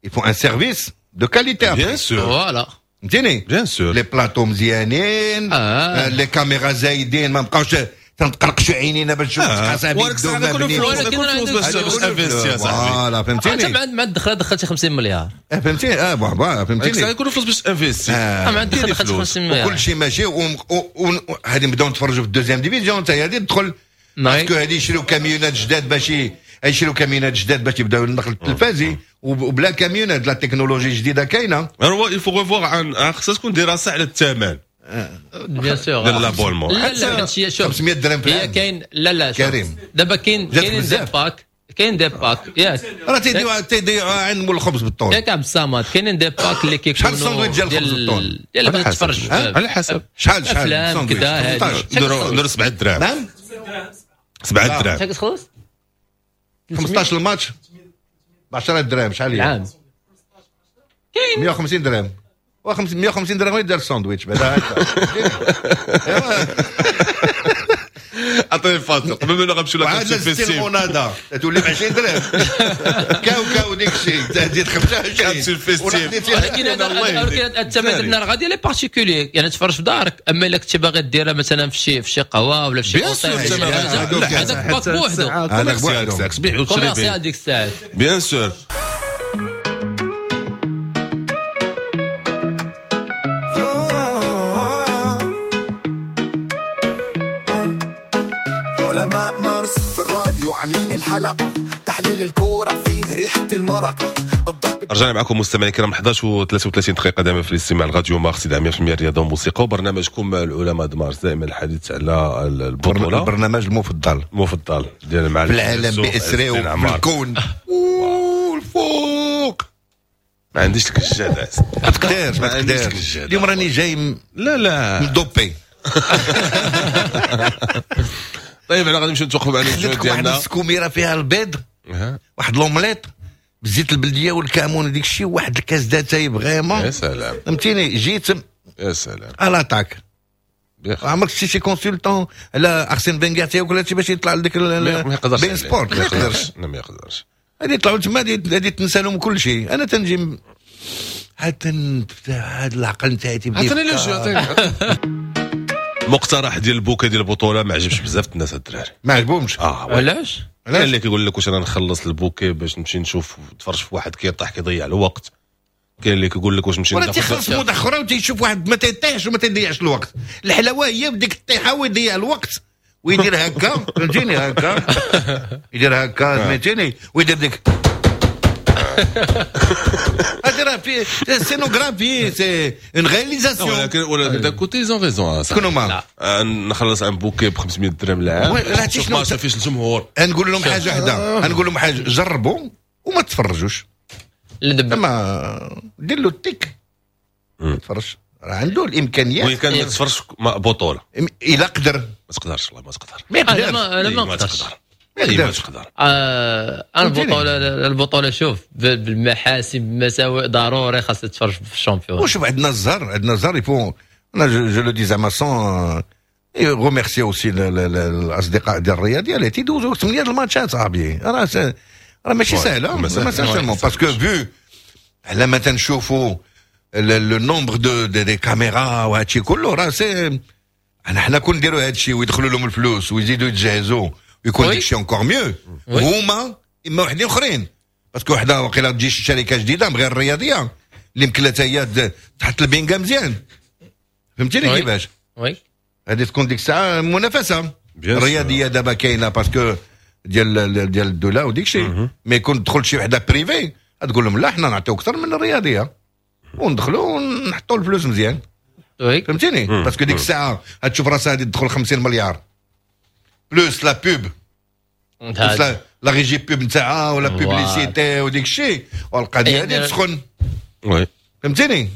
il faut un service de qualité. bien sûr، voilà، فهمتيني؟ bien sûr، les plateaux مزيانين، les caméras زايدين، ما نبقاوش تنقرقشوا عينينا باش نشوفوا حسابي. ولكن فلوس باش investir صاحبي. voilà فهمتيني؟ انت مع الدخلة دخلتي 50 مليار. فهمتيني؟ bon فهمتيني؟ يكونوا فلوس باش investir. مع الدخلة دخلتي 50 مليار وكل شيء ماشي. وهذه نبداو نتفرجوا في ال deuxième division حتى هذه تدخل، parce que هذه يشريو كاميونات جداد باش يشريو كاميونات جداد باش يبداو النقل التلفازي، وبلا كاميونات la technologie جديدة كاينه. هو il faut revoir، خصها تكون دراسة على الثمن. bien sûr ديال l'abonnement. لا لا هادشي شوف 500 درهم في العام. هي كاين. لا لا كريم دابا كاين des packs، كاين des packs ياك راه تيضيعوا عند مول الخبز بالطون. ياك عبد الصمد كاينين des packs اللي كيكونوا شحال الساندويتش ديال الخبز بالطون؟ ديال باش تتفرج على حسب شحال الساندويتش. نديرو 7 دراهم. نعم 7 دراهم. شحال كتخلص؟ 15 الماتش ب 10 دراهم. شحال هي؟ العام كاين 150 درهم. 150 درهم يدير الساندويتش بعدا. عطيني فاصل قبل ما غنمشيو la capsule festive تولي ب 20 درهم. كاو كاو ديك الشيء تزيد 25 capsule festive. ولكن الثمن درنا راه غادي les particuliers، يعني تفرج في دارك. اما الا كنتي باغي ديرها مثلا في شي قهوة ولا في شي اوتيل، هذاك pack بوحدو، هذاك بوحدو commercial ديك الساعة. bien sûr. تحليل الكورة فيه ريحة المرق. رجعنا معكم مستمعينا الكرام 11:33 دقيقة دائما في الاستماع لراديو مارس 100% رياضة وموسيقى، وبرنامجكم العلماء د مارس دائما الحديث على البطولة، البرنامج المفضل ديال المعلم في العالم بأسره وفي الكون والفوق. ما عنديش لك الجهد، ما تقدرش ما تقدرش. اليوم راني جاي لا لا مدوبي. طيب انا غادي نمشيو نتوقفوا مع الجو ديالنا. واحد السكوميره فيها البيض، واحد لومليط بالزيت البلدية والكمون وديك الشيء، واحد الكاس داتاي vraiment. يا سلام، فهمتيني؟ جيت يا سلام à l'attaque. عمرك شتي شي consultant على ارسين فينغر تياكل هادشي باش يطلع لديك beIN Sport؟ ما يقدرش، ما يقدرش. غادي يطلعوا تما غادي تنسى لهم كل شيء. انا تنجي حتى هذا العقل نتاعي تيبدا. عطيني le jeu، عطيني المقترح ديال البوكي ديال البطولة. ما عجبش بزاف الناس الدراري، ما عجبهمش. علاش؟ كاين اللي كيقول لك واش انا نخلص البوكي باش نمشي نشوف نتفرج في واحد كيطيح كيضيع الوقت. كاين اللي كيقول لك واش نمشي ولا تيخلص مدخره وتيشوف واحد ما تيطيحش وما تيضيعش الوقت. الحلاوة هي بديك الطيحه ويضيع الوقت ويدير هكا، فهمتيني؟ هكا يدير هكا، فهمتيني؟ ويدير ديك هذه راه في scénographie، c'est une réalisation. ولكن d'un côté ils ont raison. شكون هما؟ نخلص un bouquet ب 500 درهم العام، ما فيش الجمهور. نقول لهم حاجة وحده، نقول لهم حاجة، جربوا وما تفرجوش. ما دير له التيك ما تفرجش، راه عنده الامكانيات. وين كان ما تفرجش بطوله الا قدر. ما تقدرش والله ما تقدر. انا ما نقدرش. ما تقدر. انا البطولة شوف بالمحاسن بالمساوئ ضروري خاصك تتفرج في ال champion. وشوف عندنا الزهر، عندنا الزهر. il faut انا je le dis زعما sans remercier aussi الاصدقاء ديال الرياضية اللي تيدوزو 8 الماتشات صاحبي. راه ماشي سهلة، ما سهلة parce que vu على ما تنشوفوا le nombre de des caméras وهادشي كله، راه c'est حنا كون نديروا هادشي ويدخلوا لهم الفلوس ويزيدوا يتجهزوا ويكون داكشي encore mieux، هما اما وحدين اخرين، parce que وحده وقيلا تجي شي شركة جديدة من غير الرياضية اللي يمكن لها هي تحط البينغا مزيان، فهمتيني كيفاش؟ oui، هذه تكون ديك الساعة منافسه. الرياضية دابا كاينه parce que ديال الدولة وديك الشيء، mais كون تدخل شي وحده privée تقول لهم لا حنا نعطيو اكثر من الرياضية وندخلوا ونحطوا الفلوس مزيان، فهمتيني؟ parce que ديك الساعة تشوف راسها غادي تدخل 50 مليار plus la pub، plus la régie pub نتاعها ولا publicité وديك الشيء، والقضية هذه تسخن، oui، فهمتيني؟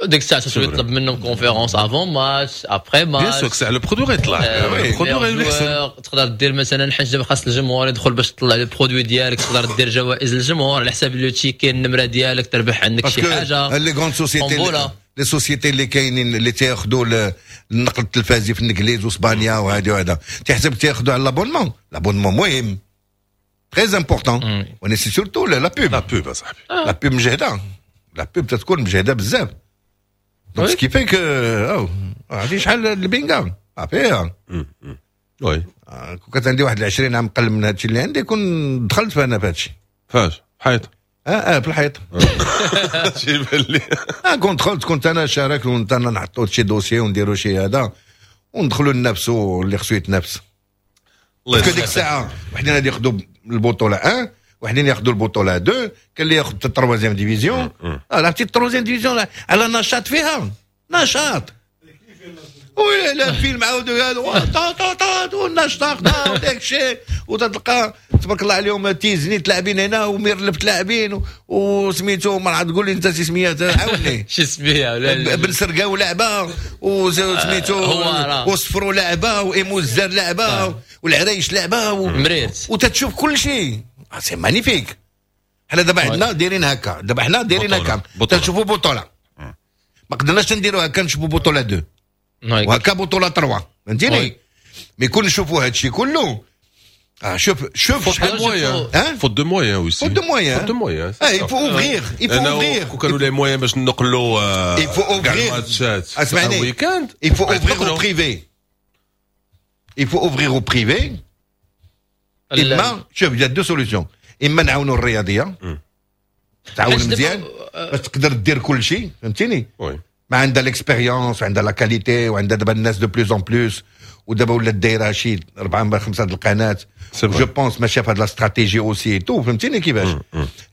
ديك الساعة تطلب منهم conférence avant match، après match، bien sûr ساعة le produit غيطلع، le produit غيولي احسن. تقدر دير مثلا حاجه، دابا خاص الجمهور يدخل باش تطلع le produit ديالك، تقدر دير جوائز للجمهور على حساب le ticket، النمرة ديالك تربح عندك شي حاجه. les grandes sociétés، les sociétés اللي كاينين اللي تياخذوا النقل التلفازي في الانجليز واسبانيا وهذه وهذا، تحسب تياخذوا على l'abonnement. l'abonnement مهم، très important، ولكن c'est surtout la pub. la pub اصاحبي. la pub مجهده، la pub تتكون مجهده بزاف، donc ce qui fait que او عرفتي شحال البينغا فيها. oui. كون كانت عندي واحد 20 عام قل من هادشي اللي عندي كون دخلت انا في هادشي. فاش حيط؟ اه في الحيط. شي بان لي. كنت دخلت، كنت انا شاركت وانت انا نحطوا شي dossier ونديروا شي هذا وندخلوا ننافسوا اللي خصو يتنافس. الله. ديك الساعة وحدين غادي ياخذوا البطولة 1، وحدين ياخذوا البطولة 2، كان اللي ياخذ ال troisième division. عرفتي ال troisième division على نشاط فيها نشاط، ولا لا فيلم عاودوا هذا طا طا طا والنشاط وداك الشيء، وتتلقى تبارك الله عليهم تيزنيت لاعبين هنا وميرلفت لاعبين وسميتو ما عاد تقول لي انت سميات، عاوني. شي سميه ولا بن سرقاو لعبه وسميتو وصفرو لعبه وايموزار لعبه والعرايش لعبه مريت، وتتشوف كل شيء، c'est magnifique. حنا دابا عندنا دايرين هكا، دابا حنا دايرين هكا تنشوفوا بطوله، ما قدرناش نديروا هكا نشوفوا بطوله 2 وهكا بطوله 3، فهمتيني؟ mais كون نشوفوا هذا الشيء كله، شوف شوف شحال moyens، faute de moyens aussi. faute de moyens. faute de moyens. il faut ouvrir، il faut ouvrir. كانوا les moyens باش نقلوا il faut ouvrir. ماتشات. اسمعني، week-end. il faut ouvrir au privé، il faut ouvrir au privé. اما شوف، il y a deux solutions: اما نعاونوا الرياضية تعاون مزيان باش تقدر دير كل شيء، فهمتيني؟ ما عندها l'expérience وعندها la qualité وعندها دابا الناس de plus en plus، ودابا ولات دايرة شي اربعة من خمسة د القنوات، je pense ماشية في هاد la stratégie aussi et tout، فهمتيني كيفاش؟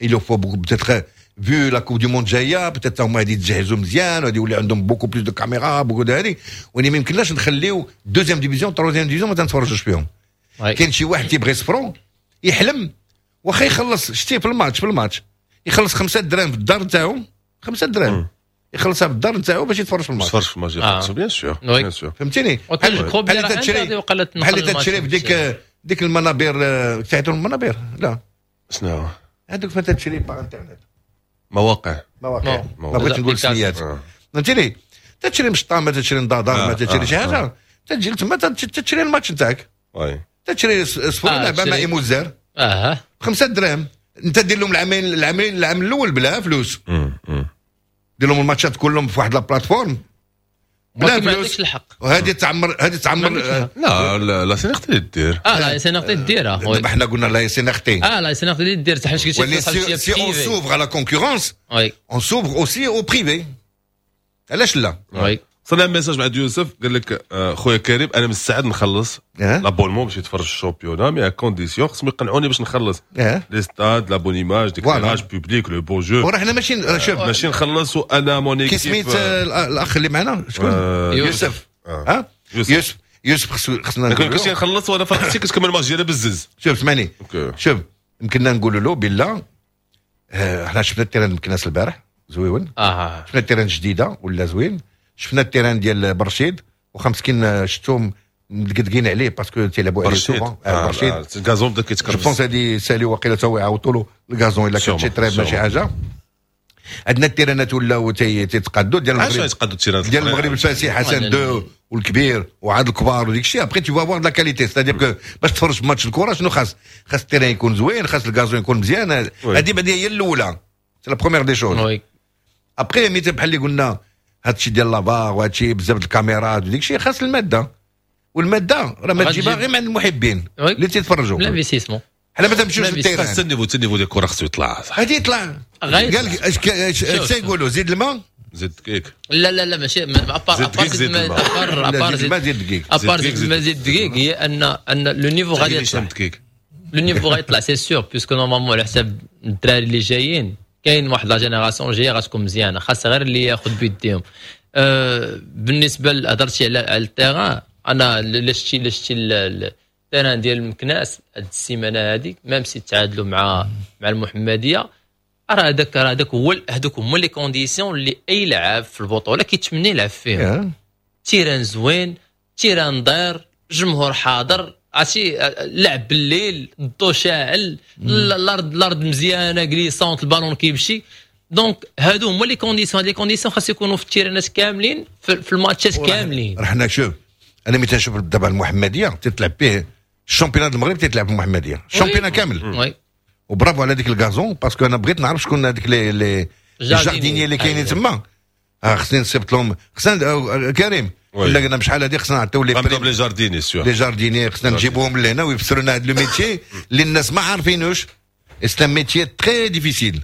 il faut peut-être، vu la Coupe du Monde جايه، peut-être هما غادي يتجهزوا مزيان وغادي يولي عندهم beaucoup plus de caméras، beaucoup de هادي، ولكن ما يمكنناش نخليو deuxième division، troisième division ما تنتفرجوش فيهم. كاين شي واحد تيبغي صفرو يحلم واخا يخلص، شتي في الماتش يخلص 5 دراهم في الدار نتاعو، 5 دراهم يخلصها في الدار نتاعو باش يتفرج في الماتش. يتفرج في الماتش، bien sûr، bien sûr. فهمتيني؟ بحال اللي تشري في ديك المنابر، تعيطوا المنابر لا؟ شنو؟ هذوك فين تشري par internet. مواقع. مواقع، ما بغيتش نقول سميات، فهمتيني؟ تشري مشطه، ما تشري نضاضر، ما تشري شي حاجه، تجي تما تشري الماتش نتاعك، تشري صفر لعبه مع ايموزار 5 دراهم. انت دير لهم العامين العامين، العام الاول بلا فلوس، دير لهم الماتشات كلهم في واحد la plateforme بلا ما فلوس. عندكش الحق. وهذه تعمر، هذه تعمر. لا لا، la CNRT دير. اه la CNRT ديرها. دابا حنا قلنا la CNRT. اه la CNRT دير حاجه. قلتي si on s'ouvre à la concurrence، on s'ouvre aussi au privé، علاش لا؟ oui. وصلنا message مع يوسف، قال لك خويا كريم، انا مستعد نخلص l'abonnement باش يتفرج ال championnat، mais à condition خصهم يقنعوني باش نخلص les stades، la bonne image، d'éclairage public، le beau jeu. وراه حنا ماشي، شوف. ماشي نخلص وانا mon équipe. كي سميت الاخ اللي معنا؟ شكون؟ يوسف. ها يوسف، يوسف خصنا نقول كنت نخلص وانا فرقتي كتكمل الماتش ديالها بزز. شوف، اسمعني، شوف، يمكننا نقولوا له بالله حنا شفنا ال terrain مكناس البارح زويون، شفنا ال terrain الجديدة ولا زوين، شفنا ال terrain ديال برشيد وخا مسكين شفتهم مدقدقين عليه parce que تيلعبوا عليه souvent. برشيد ال gazon بدا كيتكرفس. je pense هادي سالي وقيله تا هو يعاودوا له ال gazon الا كان شي تريب شي حاجه. عندنا التيرانات ولاو تيتقادوا ديال المغرب. يتقادوا التيرانات؟ ديال المغرب الفاسي، حسن deux والكبير وعاد الكبار وديك الشيء. après tu vas voir la qualité، c'est-à-dire que باش تفرج في ماتش الكره شنو خاص؟ خاص ال terrain يكون زوين، خاص ال gazon يكون مزيان. هذه بعد هي الاولى، c'est la première des choses. après ملي بحال اللي قلنا هادشي ديال la VAR وهادشي بزاف الكاميرات وديك الشيء، خاص الماده. والمادة راه ما تجيبها غير من عند المحبين اللي تيتفرجوا. l'investissement، حنا ما تمشيوش لل terrain. حتى ال niveau، حتى ال niveau ديال الكره خصو يطلع. غادي يطلع. قال لك اش تيقولوا؟ زيد الماء زيد دقيق. لا لا لا، ماشي à part، à part زيد الماء، à part زيد دقيق، à part زيد الماء زيد دقيق، هي ان le niveau غادي يطلع، le niveau غيطلع، c'est sûr، puisque normalement على حساب الدراري اللي جايين كاين واحد la génération جاية غتكون مزيانه، خاص غير اللي ياخذ بيديهم. بالنسبة هضرتي على ال terrain، انا لا شتي ال terrain ديال المكناس هاد السيمانة هذيك، même si تعادلوا مع المحمديه، راه هذاك هو، هذوك هما les conditions اللي اي لاعب في البطولة كيتمنى يلعب فيهم. terrain زوين، terrain داير، جمهور حاضر، عرفتي، لعب بالليل، الضو شاعل، الارض مزيانه، glissante، ال ballon كيمشي. donc هادو هما les conditions، هاد les conditions خاص يكونوا في التيرانات كاملين، في الماتشات كاملين. رحنا، شوف، انا ملي تنشوف دابا المحمدية تتلعب به ال championnat المغرب، تتلعب في المحمدية ال championnat كامل. وبرافو على ديك ال gazon، parce que انا بغيت نعرف شكون هذيك les jardiniers اللي كاينين تما. خصني نصيفط لهم، خصنا كريم ولا قلنا بشحال هذه، خصنا نعطيو les les jardiniers sûr. les jardiniers خصنا نجيبوهم لهنا ويفسروا لنا هذا le métier اللي الناس ما عارفينوش. c'est un métier très difficile،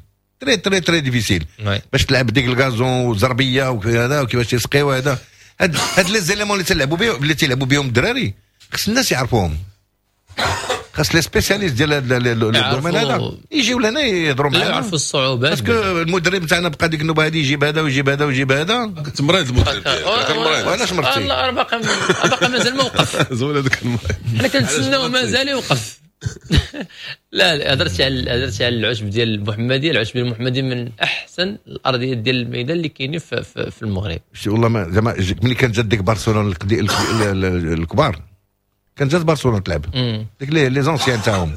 très très très difficile باش تلعب ديك ال gazon وزربيه وهذا وكيفاش تسقيو هذا. هاد les éléments اللي تلعبوا بهم، اللي تلعبوا بهم الدراري، خص الناس يعرفوهم، خاص les spécialistes ديال هذا le domaine هذا يجيو لهنا يهضروا معنا. يعرفوا الصعوبات. parce que المدرب تاعنا بقى ديك النوبة هذه يجيب هذا ويجيب هذا ويجيب هذا. كنت مريض المدرب. كان مريض. وعلاش مرتي؟ الله، باقي مازال ما وقف. زوين هذاك. حنا كنتسناو، مازال يوقف. لا، هضرتي على العشب ديال المحمديه، العشب ديال المحمدية من احسن الارضيات ديال الميدان اللي كاينين في المغرب. والله ما زعما ملي كانت جات ديك برشلونة الكبار، كان جات برشلونة تلعب ديك les anciens تاعهم،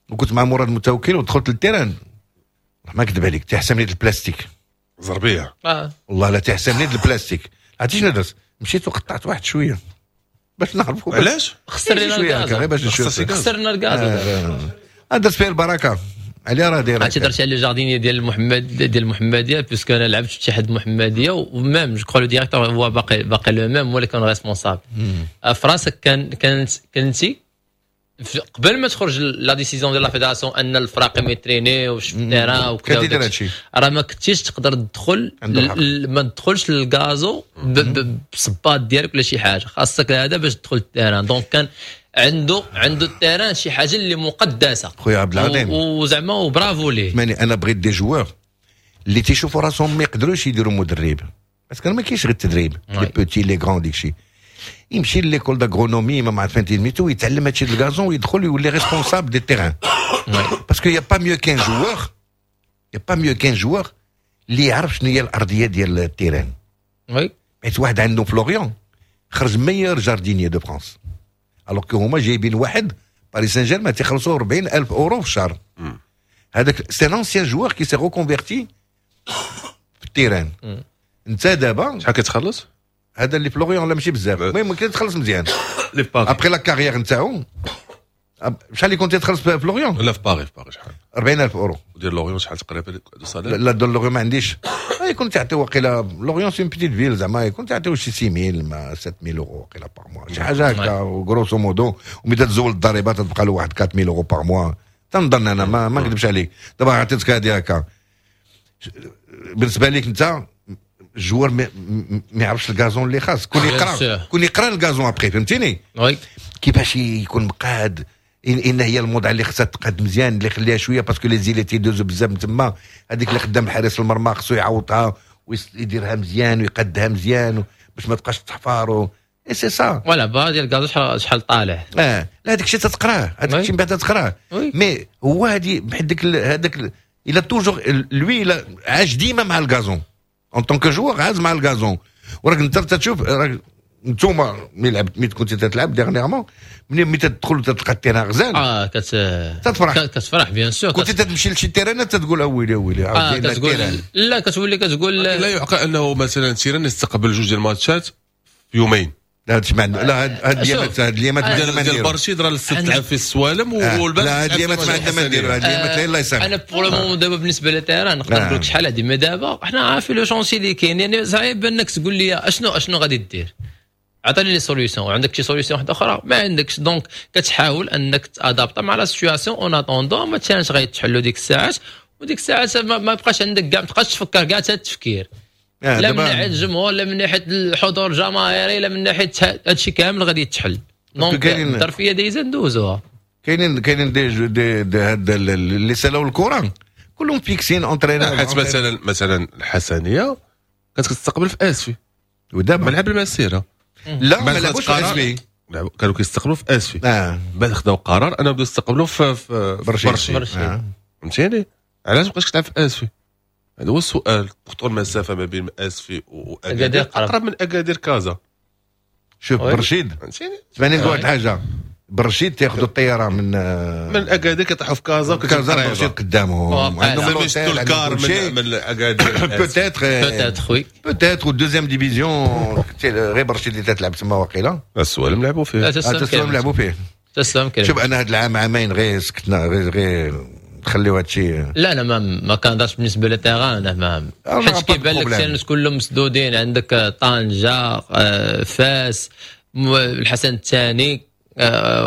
وكنت مع مراد المتوكل ودخلت لل terrain، ما نكذب عليك، تحسن لي البلاستيك. زربيه. والله لا تحسن لي البلاستيك. عرفتي شنو درت؟ مشيت وقطعت واحد شوية باش نعرفوا. علاش؟ خسر لنا شوية هكا غير باش نشوف. خسرنا ال gazon. درت فيه البركة علي راه داير. عرفتي، درت على les jardiniers ديال المحمديه، puisque انا لعبت في اتحاد المحمدية و même je crois le directeur هو باقي le même، هو اللي كان responsable. في راسك كان كانت كنتي قبل ما تخرج la décision ديال la fédération ان الفراقي ما يترينيوش في ال terrain وكذا، راه ما كنتيش تقدر تدخل، ما تدخلش لل gazon بصباط ديالك ولا شي حاجه، خاصك هذا باش تدخل ال terrain. donc كان عنده ال terrain شي حاجة اللي مقدسه. خويا عبد العظيم. وزعما وبرافو ليه. ماني انا بغيت des joueurs اللي تيشوفوا راسهم ما يقدروش يديروا مدرب، parce que ما كاينش غير التدريب، les petits، les grands، ديك الشيء، يمشي l'école d'agronomie ما عرف فين تلميتو، يتعلم هادشي ال gazon ويدخل يولي responsable des terrains، parce que y a pas mieux qu'un joueur، y a pas mieux qu'un joueur اللي يعرف شنو هي الارضية ديال ال terrain. حيت واحد عنده ف Lorient خرج meilleur jardinier de France، alors que هما جايبين واحد باريس سان جيرمان تيخلصوا 40 الف اورو في الشهر. هذاك c'est un ancien joueur qui s'est reconverti في ال terrain. انت دابا شحال كتخلص؟ هذا اللي في Lorient؟ لا، ماشي بزاف، المهم كيتخلص مزيان. لي في باري. après la carrière نتاعو، شحال اللي كنت تخلص في Lorient؟ لا، في باري شحال؟ 40000 اورو. وديال Lorient شحال تقريبا؟ لا، ديال Lorient ما عنديش. يكون تعطي وقيلا، Lorient c'est petite ville، زعما يكون تعطيو شي 6000 ما 7000 اورو وقيلا par mois، شي حاجة هكا grosso modo. وملي تزول الضريبة تبقى له واحد 4000 euros par mois تنظن انا، ما نكذبش عليك. دابا عطيتك هذه هكا. بالنسبة لك انت ال joueur ما يعرفش ال gazon اللي خاص كون يقرا، كون يقرا ال gazon après، فهمتيني؟ oui. كيفاش يكون مقاد، ان هي الموضع اللي خصها تقاد مزيان، اللي خليها شوية parce que les ailiers تيدوزو بزاف من تما، هذيك اللي خدام حارس المرمى خصو يعوضها ويديرها مزيان ويقدها مزيان باش ما تبقاش تحفار، et c'est ça. voilà، با ديال ال gazon شحال طالع. اه لا، هذاك الشيء تتقراه، هذاك الشيء من بعد تتقراه. mais هو هذه بحال ديك هذاك il a toujours، lui عاش ديما مع ال gazon en tant que joueur، عاش مع ال gazon. وراك انت تشوف، راك انتوما ملي لعبت، ملي كنت تلعب dernièrement، ملي تدخل تلقى ال terrain غزال. اه تتفرح. كتفرح، bien sûr. كنت تمشي لشي terrain تتقول اويلي اويلي. كتقول لا، كتولي كتقول لا يعقل انه مثلا terrain يستقبل جوج ديال الماتشات في يومين. لا، هادشي ما لا، هاد اليامات، هاد اليامات ما عندنا ديال برشيد راه السبت تلعب في السوالم والبارح. لا، هاد اليامات ما عندنا ما نديرو، هاد اليامات الله يسامح. انا pour le moment دابا بالنسبة لل terrain نقدر نقول لك شحال هادي، mais دابا حنا عارفين le chantier اللي كاين، يعني صعيب انك تقول لي اشنو غادي دير. عطيني les solutions، عندك شي solution واحدة اخرى؟ ما عندكش. donc كتحاول انك ت adapter مع la situation en attendant ما تيرانش غيتحلوا ديك الساعات، وديك الساعات ما يبقاش عندك كاع، ما تبقاش تفكر كاع حتى التفكير، لا من ناحية الجمهور، لا من ناحية الحضور الجماهيري، لا من ناحية هادشي كامل غادي يتحل. donc الظرفية دايزه ندوزوها. كاينين des هاد اللي سالاو الكره كلهم fixés entraîneur. حيت مثلا الحسنيه كانت كتستقبل في اسفي، ودابا ملعب المسيرة لا ما لعبوش في اسفي، كانوا كيستقبلوا في اسفي. بعد خداو قرار انا بداو يستقبلوا في برشيد. فهمتيني؟ علاش مابقاش كتلعب في اسفي؟ هذا هو السؤال. خطور المسافة ما بين اسفي واكادير اقرب من اكادير كازا. شوف برشيد، سمعني نقول واحد الحاجة، برشيد تاخذوا الطيارة من اكادير كيطيحوا في كازا، كازا برشيد قدامهم، عندهم الكار من اكادير peut-être oui peut-être deuxième division غير برشيد اللي تلعب تما واقيلا. السوالم لعبوا فيه، السوالم لعبوا فيه. شوف انا هذا العام عامين غير سكتنا، غير خليو هادشي. لا انا ما كنهضرش بالنسبة لل terrain، انا ما حيت كيبان لك الناس كلهم مسدودين. عندك طنجه، فاس، الحسن الثاني،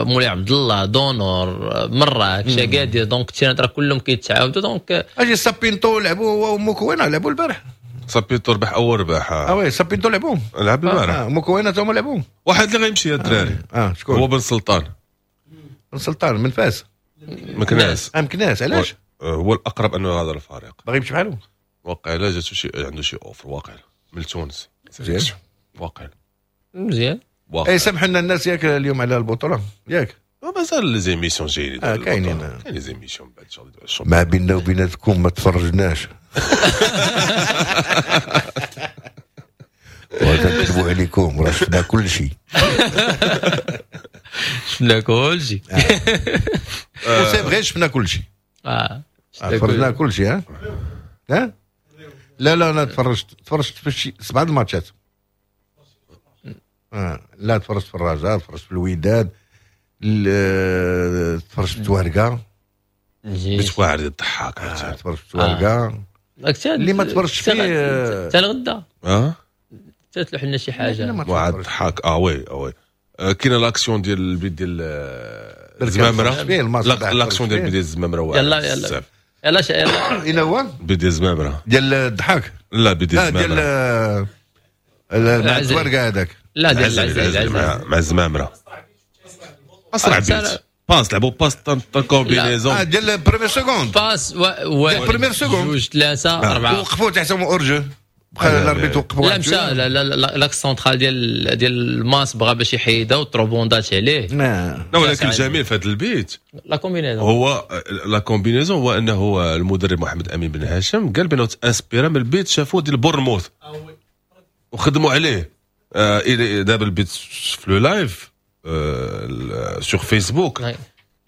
مولاي عبد الله، دونور، مراكش، اكادير. donc ال terrain راه كلهم كيتعاودوا. donc اجي سابينتو لعبوا هو وموكوينا، لعبوا البارح. سابينتو ربح اول ربح. oui سابينتو لعبوا، لعب البارح. موكوينا تا هما لعبوا. واحد اللي غيمشي الدراري شكون هو؟ بن سلطان. بن سلطان من فاس، مكناس. مكناس. علاش؟ هو الاقرب انه هذا الفريق باغي يمشي بحالو. واقيلا جاتو شي، عنده شي offre واقيلا من تونس. واقيلا مزيان. اي سامحوا لنا الناس ياك اليوم على البطولة ياك، مازال les émissions جايين. كاينين كاين les émissions بعد ان شاء الله. ما بيننا وبيناتكم ما تفرجناش وتكذبوا عليكم، راه شفنا كل شيء. شفنا كل شيء. و c'est vrai شفنا كل شيء. تفرجنا كل شيء. ها لا لا انا تفرجت في شي 7 الماتشات. لا تفرجت في الرجاء، تفرجت في الوداد، تفرجت في توارقه. بتواعر الضحاك. تفرجت في توارقه. اللي ما تفرجتش فيه حتى الغدا تتلوح لنا شي حاجة. واحد الضحاك. oui كاينه l'action ديال البيت ديال الزمامره، l'action ديال البيت ديال الزمامره. يلا يلا يلا يلا الى هو البيت ديال الزمامره ديال الضحاك. لا بيت ديال الزمامره ديال مع التوارقه هذاك. لا ديال العزيز مع الزمامره. اسرع بيت passe، لعبوا passe تا combinaison ديال première seconde. passe واحد première seconde، جوج، ثلاثة، اربعة. وقفوا تحسهم hors-jeu، بقى l'arbitre وقفوا. لا مشى l'axe central ديال الماس بغى باش يحيدها وتروبوندات عليه. لا ولكن الجميل في هذا البيت la combinaison، هو la combinaison، هو انه المدرب محمد امين بن هاشم قال بانه ت inspira من البيت شافوه ديال بورنموث وخدموا عليه. دابا البيت في le live sur فيسبوك،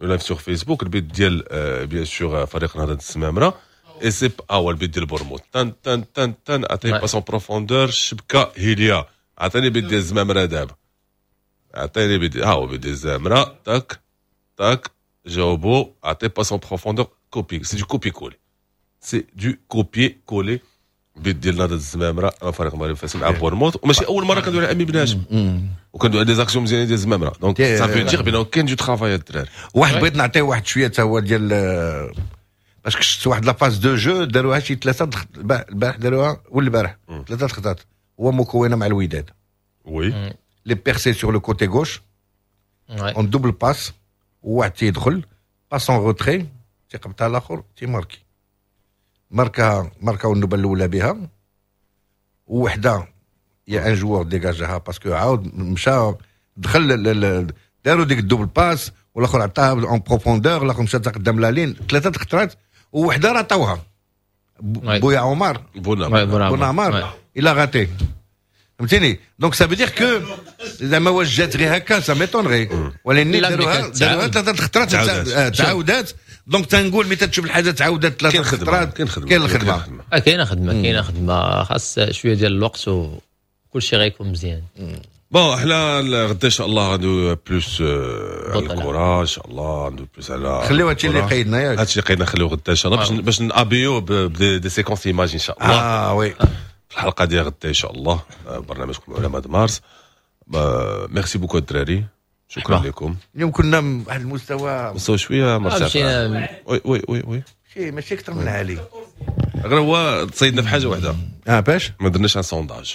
le live sur فيسبوك، البيت ديال bien sûr فريق نهضة السمامره et c'est هو البيت ديال بورموت. تن تن تن تن عطيني passe en profondeur، شبكة هيليا. عطيني بيت ديال الزمامره دابا، عطيني بيت، ها هو بيت ديال الزمامره. تاك تاك جاوبو، عطي passe en profondeur، copier، c'est du copier-coller، c'est du copier-coller. بيت ديال نهضة الزمامره فريق المغرب الفاسي مع بورموت. وماشي اول مرة كندوي على امين بن هاشم وكندوي على des actions مزيانين ديال الزمامره. donc ça veut dire بانه كاين du travail الدراري. واحد بغيت نعطيه واحد شوية تا هو ديال باش شفت واحد la phase de jeu داروها شي ثلاثة البارح، داروها والبارح ثلاثة خطات. هو مكونة مع الوداد oui les percées sur le côté gauche en double passe، وواحد تيدخل passe en retrait تيقبطها الاخر تيماركي. ماركا النوبة الاولى بها، وحده y a un joueur dégagea ها parce que عاود مشى دخل، داروا ديك ال double passe والاخر عطاها en profondeur، الاخر مشى قدام la ligne ثلاثة خطرات ووحده راه عطاوها بويا عمر بونا عمر il a raté. فهمتيني؟ donc ça veut dire que زعما واش جات غير هكا ça m'étonnerait، ولكن داروها ثلاثة خطرات تعاودات. donc تنقول ملي تشوف الحاجة تعاودات ثلاثة خطرات كاين الخدمة. كاينه خدمة، كاينه خدمة، خاص شوية ديال الوقت وكل شيء غيكون مزيان. bon حنا غدا ان شاء الله غندوي plus على الكره ان شاء الله، غندوي plus على خليو هادشي اللي قيدنا ياك، هادشي اللي قيدنا خليو غدا ان شاء الله باش نابيو ب des séquences images ان شاء الله. oui في الحلقة ديال غدا ان شاء الله برنامجكم علماء مارس. merci beaucoup الدراري، شكرا لكم. اليوم كنا واحد المستوى، مستوى شوية مرتفع. oui oui oui oui، ماشي اكثر من عالي. غير هو تصيدنا في حاجة واحده. باش ما درناش un sondage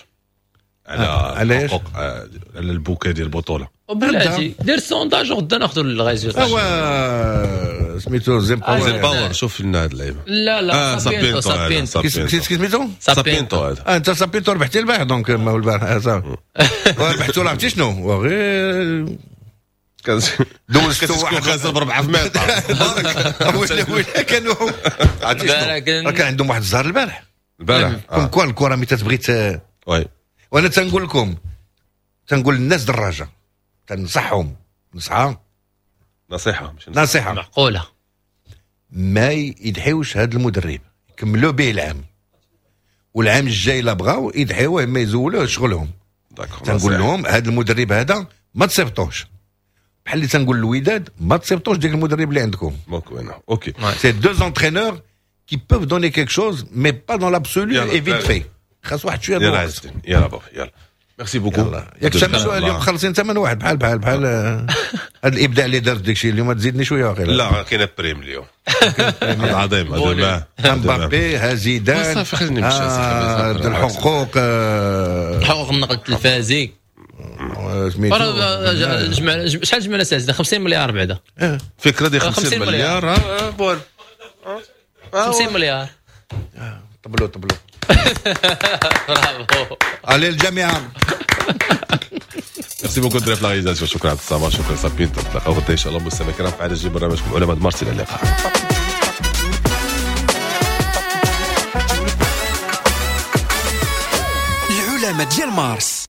على علاش؟ على البوكيه ديال البطوله. بلاتي دير sondage وغدا ناخذوا ال résultat. هو سميتو زيمباور. زيمباور، شوف لنا هذا اللعيبه. لا لا، سابينتو سابينتو. كيف سميتو؟ سابينتو هذا. انت سابينتو ربحتي البارح، donc ما هو البارح صافي ربحتو. لعبتي شنو؟ غير دوزتو واحد خاسر ب4 في متر. ولا كانوا عرفتي شنو؟ كان عندهم واحد الزهر البارح. البارح comme quoi الكره ملي تتبغي. oui، وانا تنقول لكم، تنقول للناس دراجة، تنصحهم نصحه نصيحة ماشي نصيحة معقوله، ما يدحيوش هذا المدرب، يكملوا به العام، والعام الجاي لا بغاو يدحيوه ما يزولوه شغلهم. تنقول لهم هذا المدرب هذا ما تصيفطوش، بحال اللي تنقول للوداد ما تصيفطوش ديك المدرب اللي عندكم. OK، c'est deux entraîneurs qui peuvent donner quelque chose mais pas dans l'absolu et vite fait. خاص واحد شوية. يلا عزيزي، يلا بابا، يلا merci beaucoup. ياك ثمن اليوم خلصين ثمن واحد بحال بحال بحال هذا الابداع اللي دار داك الشيء اليوم، تزيدني شوية واقيلا. لا كاينه prime اليوم عظيم. مبابي، ها زيدان، صافي خليني نمشي. الحقوق، حقوق النقل التلفازي سميتو. شحال جمعنا سي 50 مليار بعدا. فكرة دي 50 مليار bon 50 مليار. طبلو طبلو. برافو على الجامعة. merci beaucoup دري في la réalisation. شكرا عبد الصمد، شكرا سابين. نتلاقاو غدا ان شاء الله مستمعينا الكرام في عدد جديد برنامجكم علماء مارس. الى اللقاء. العلماء ديال مارس.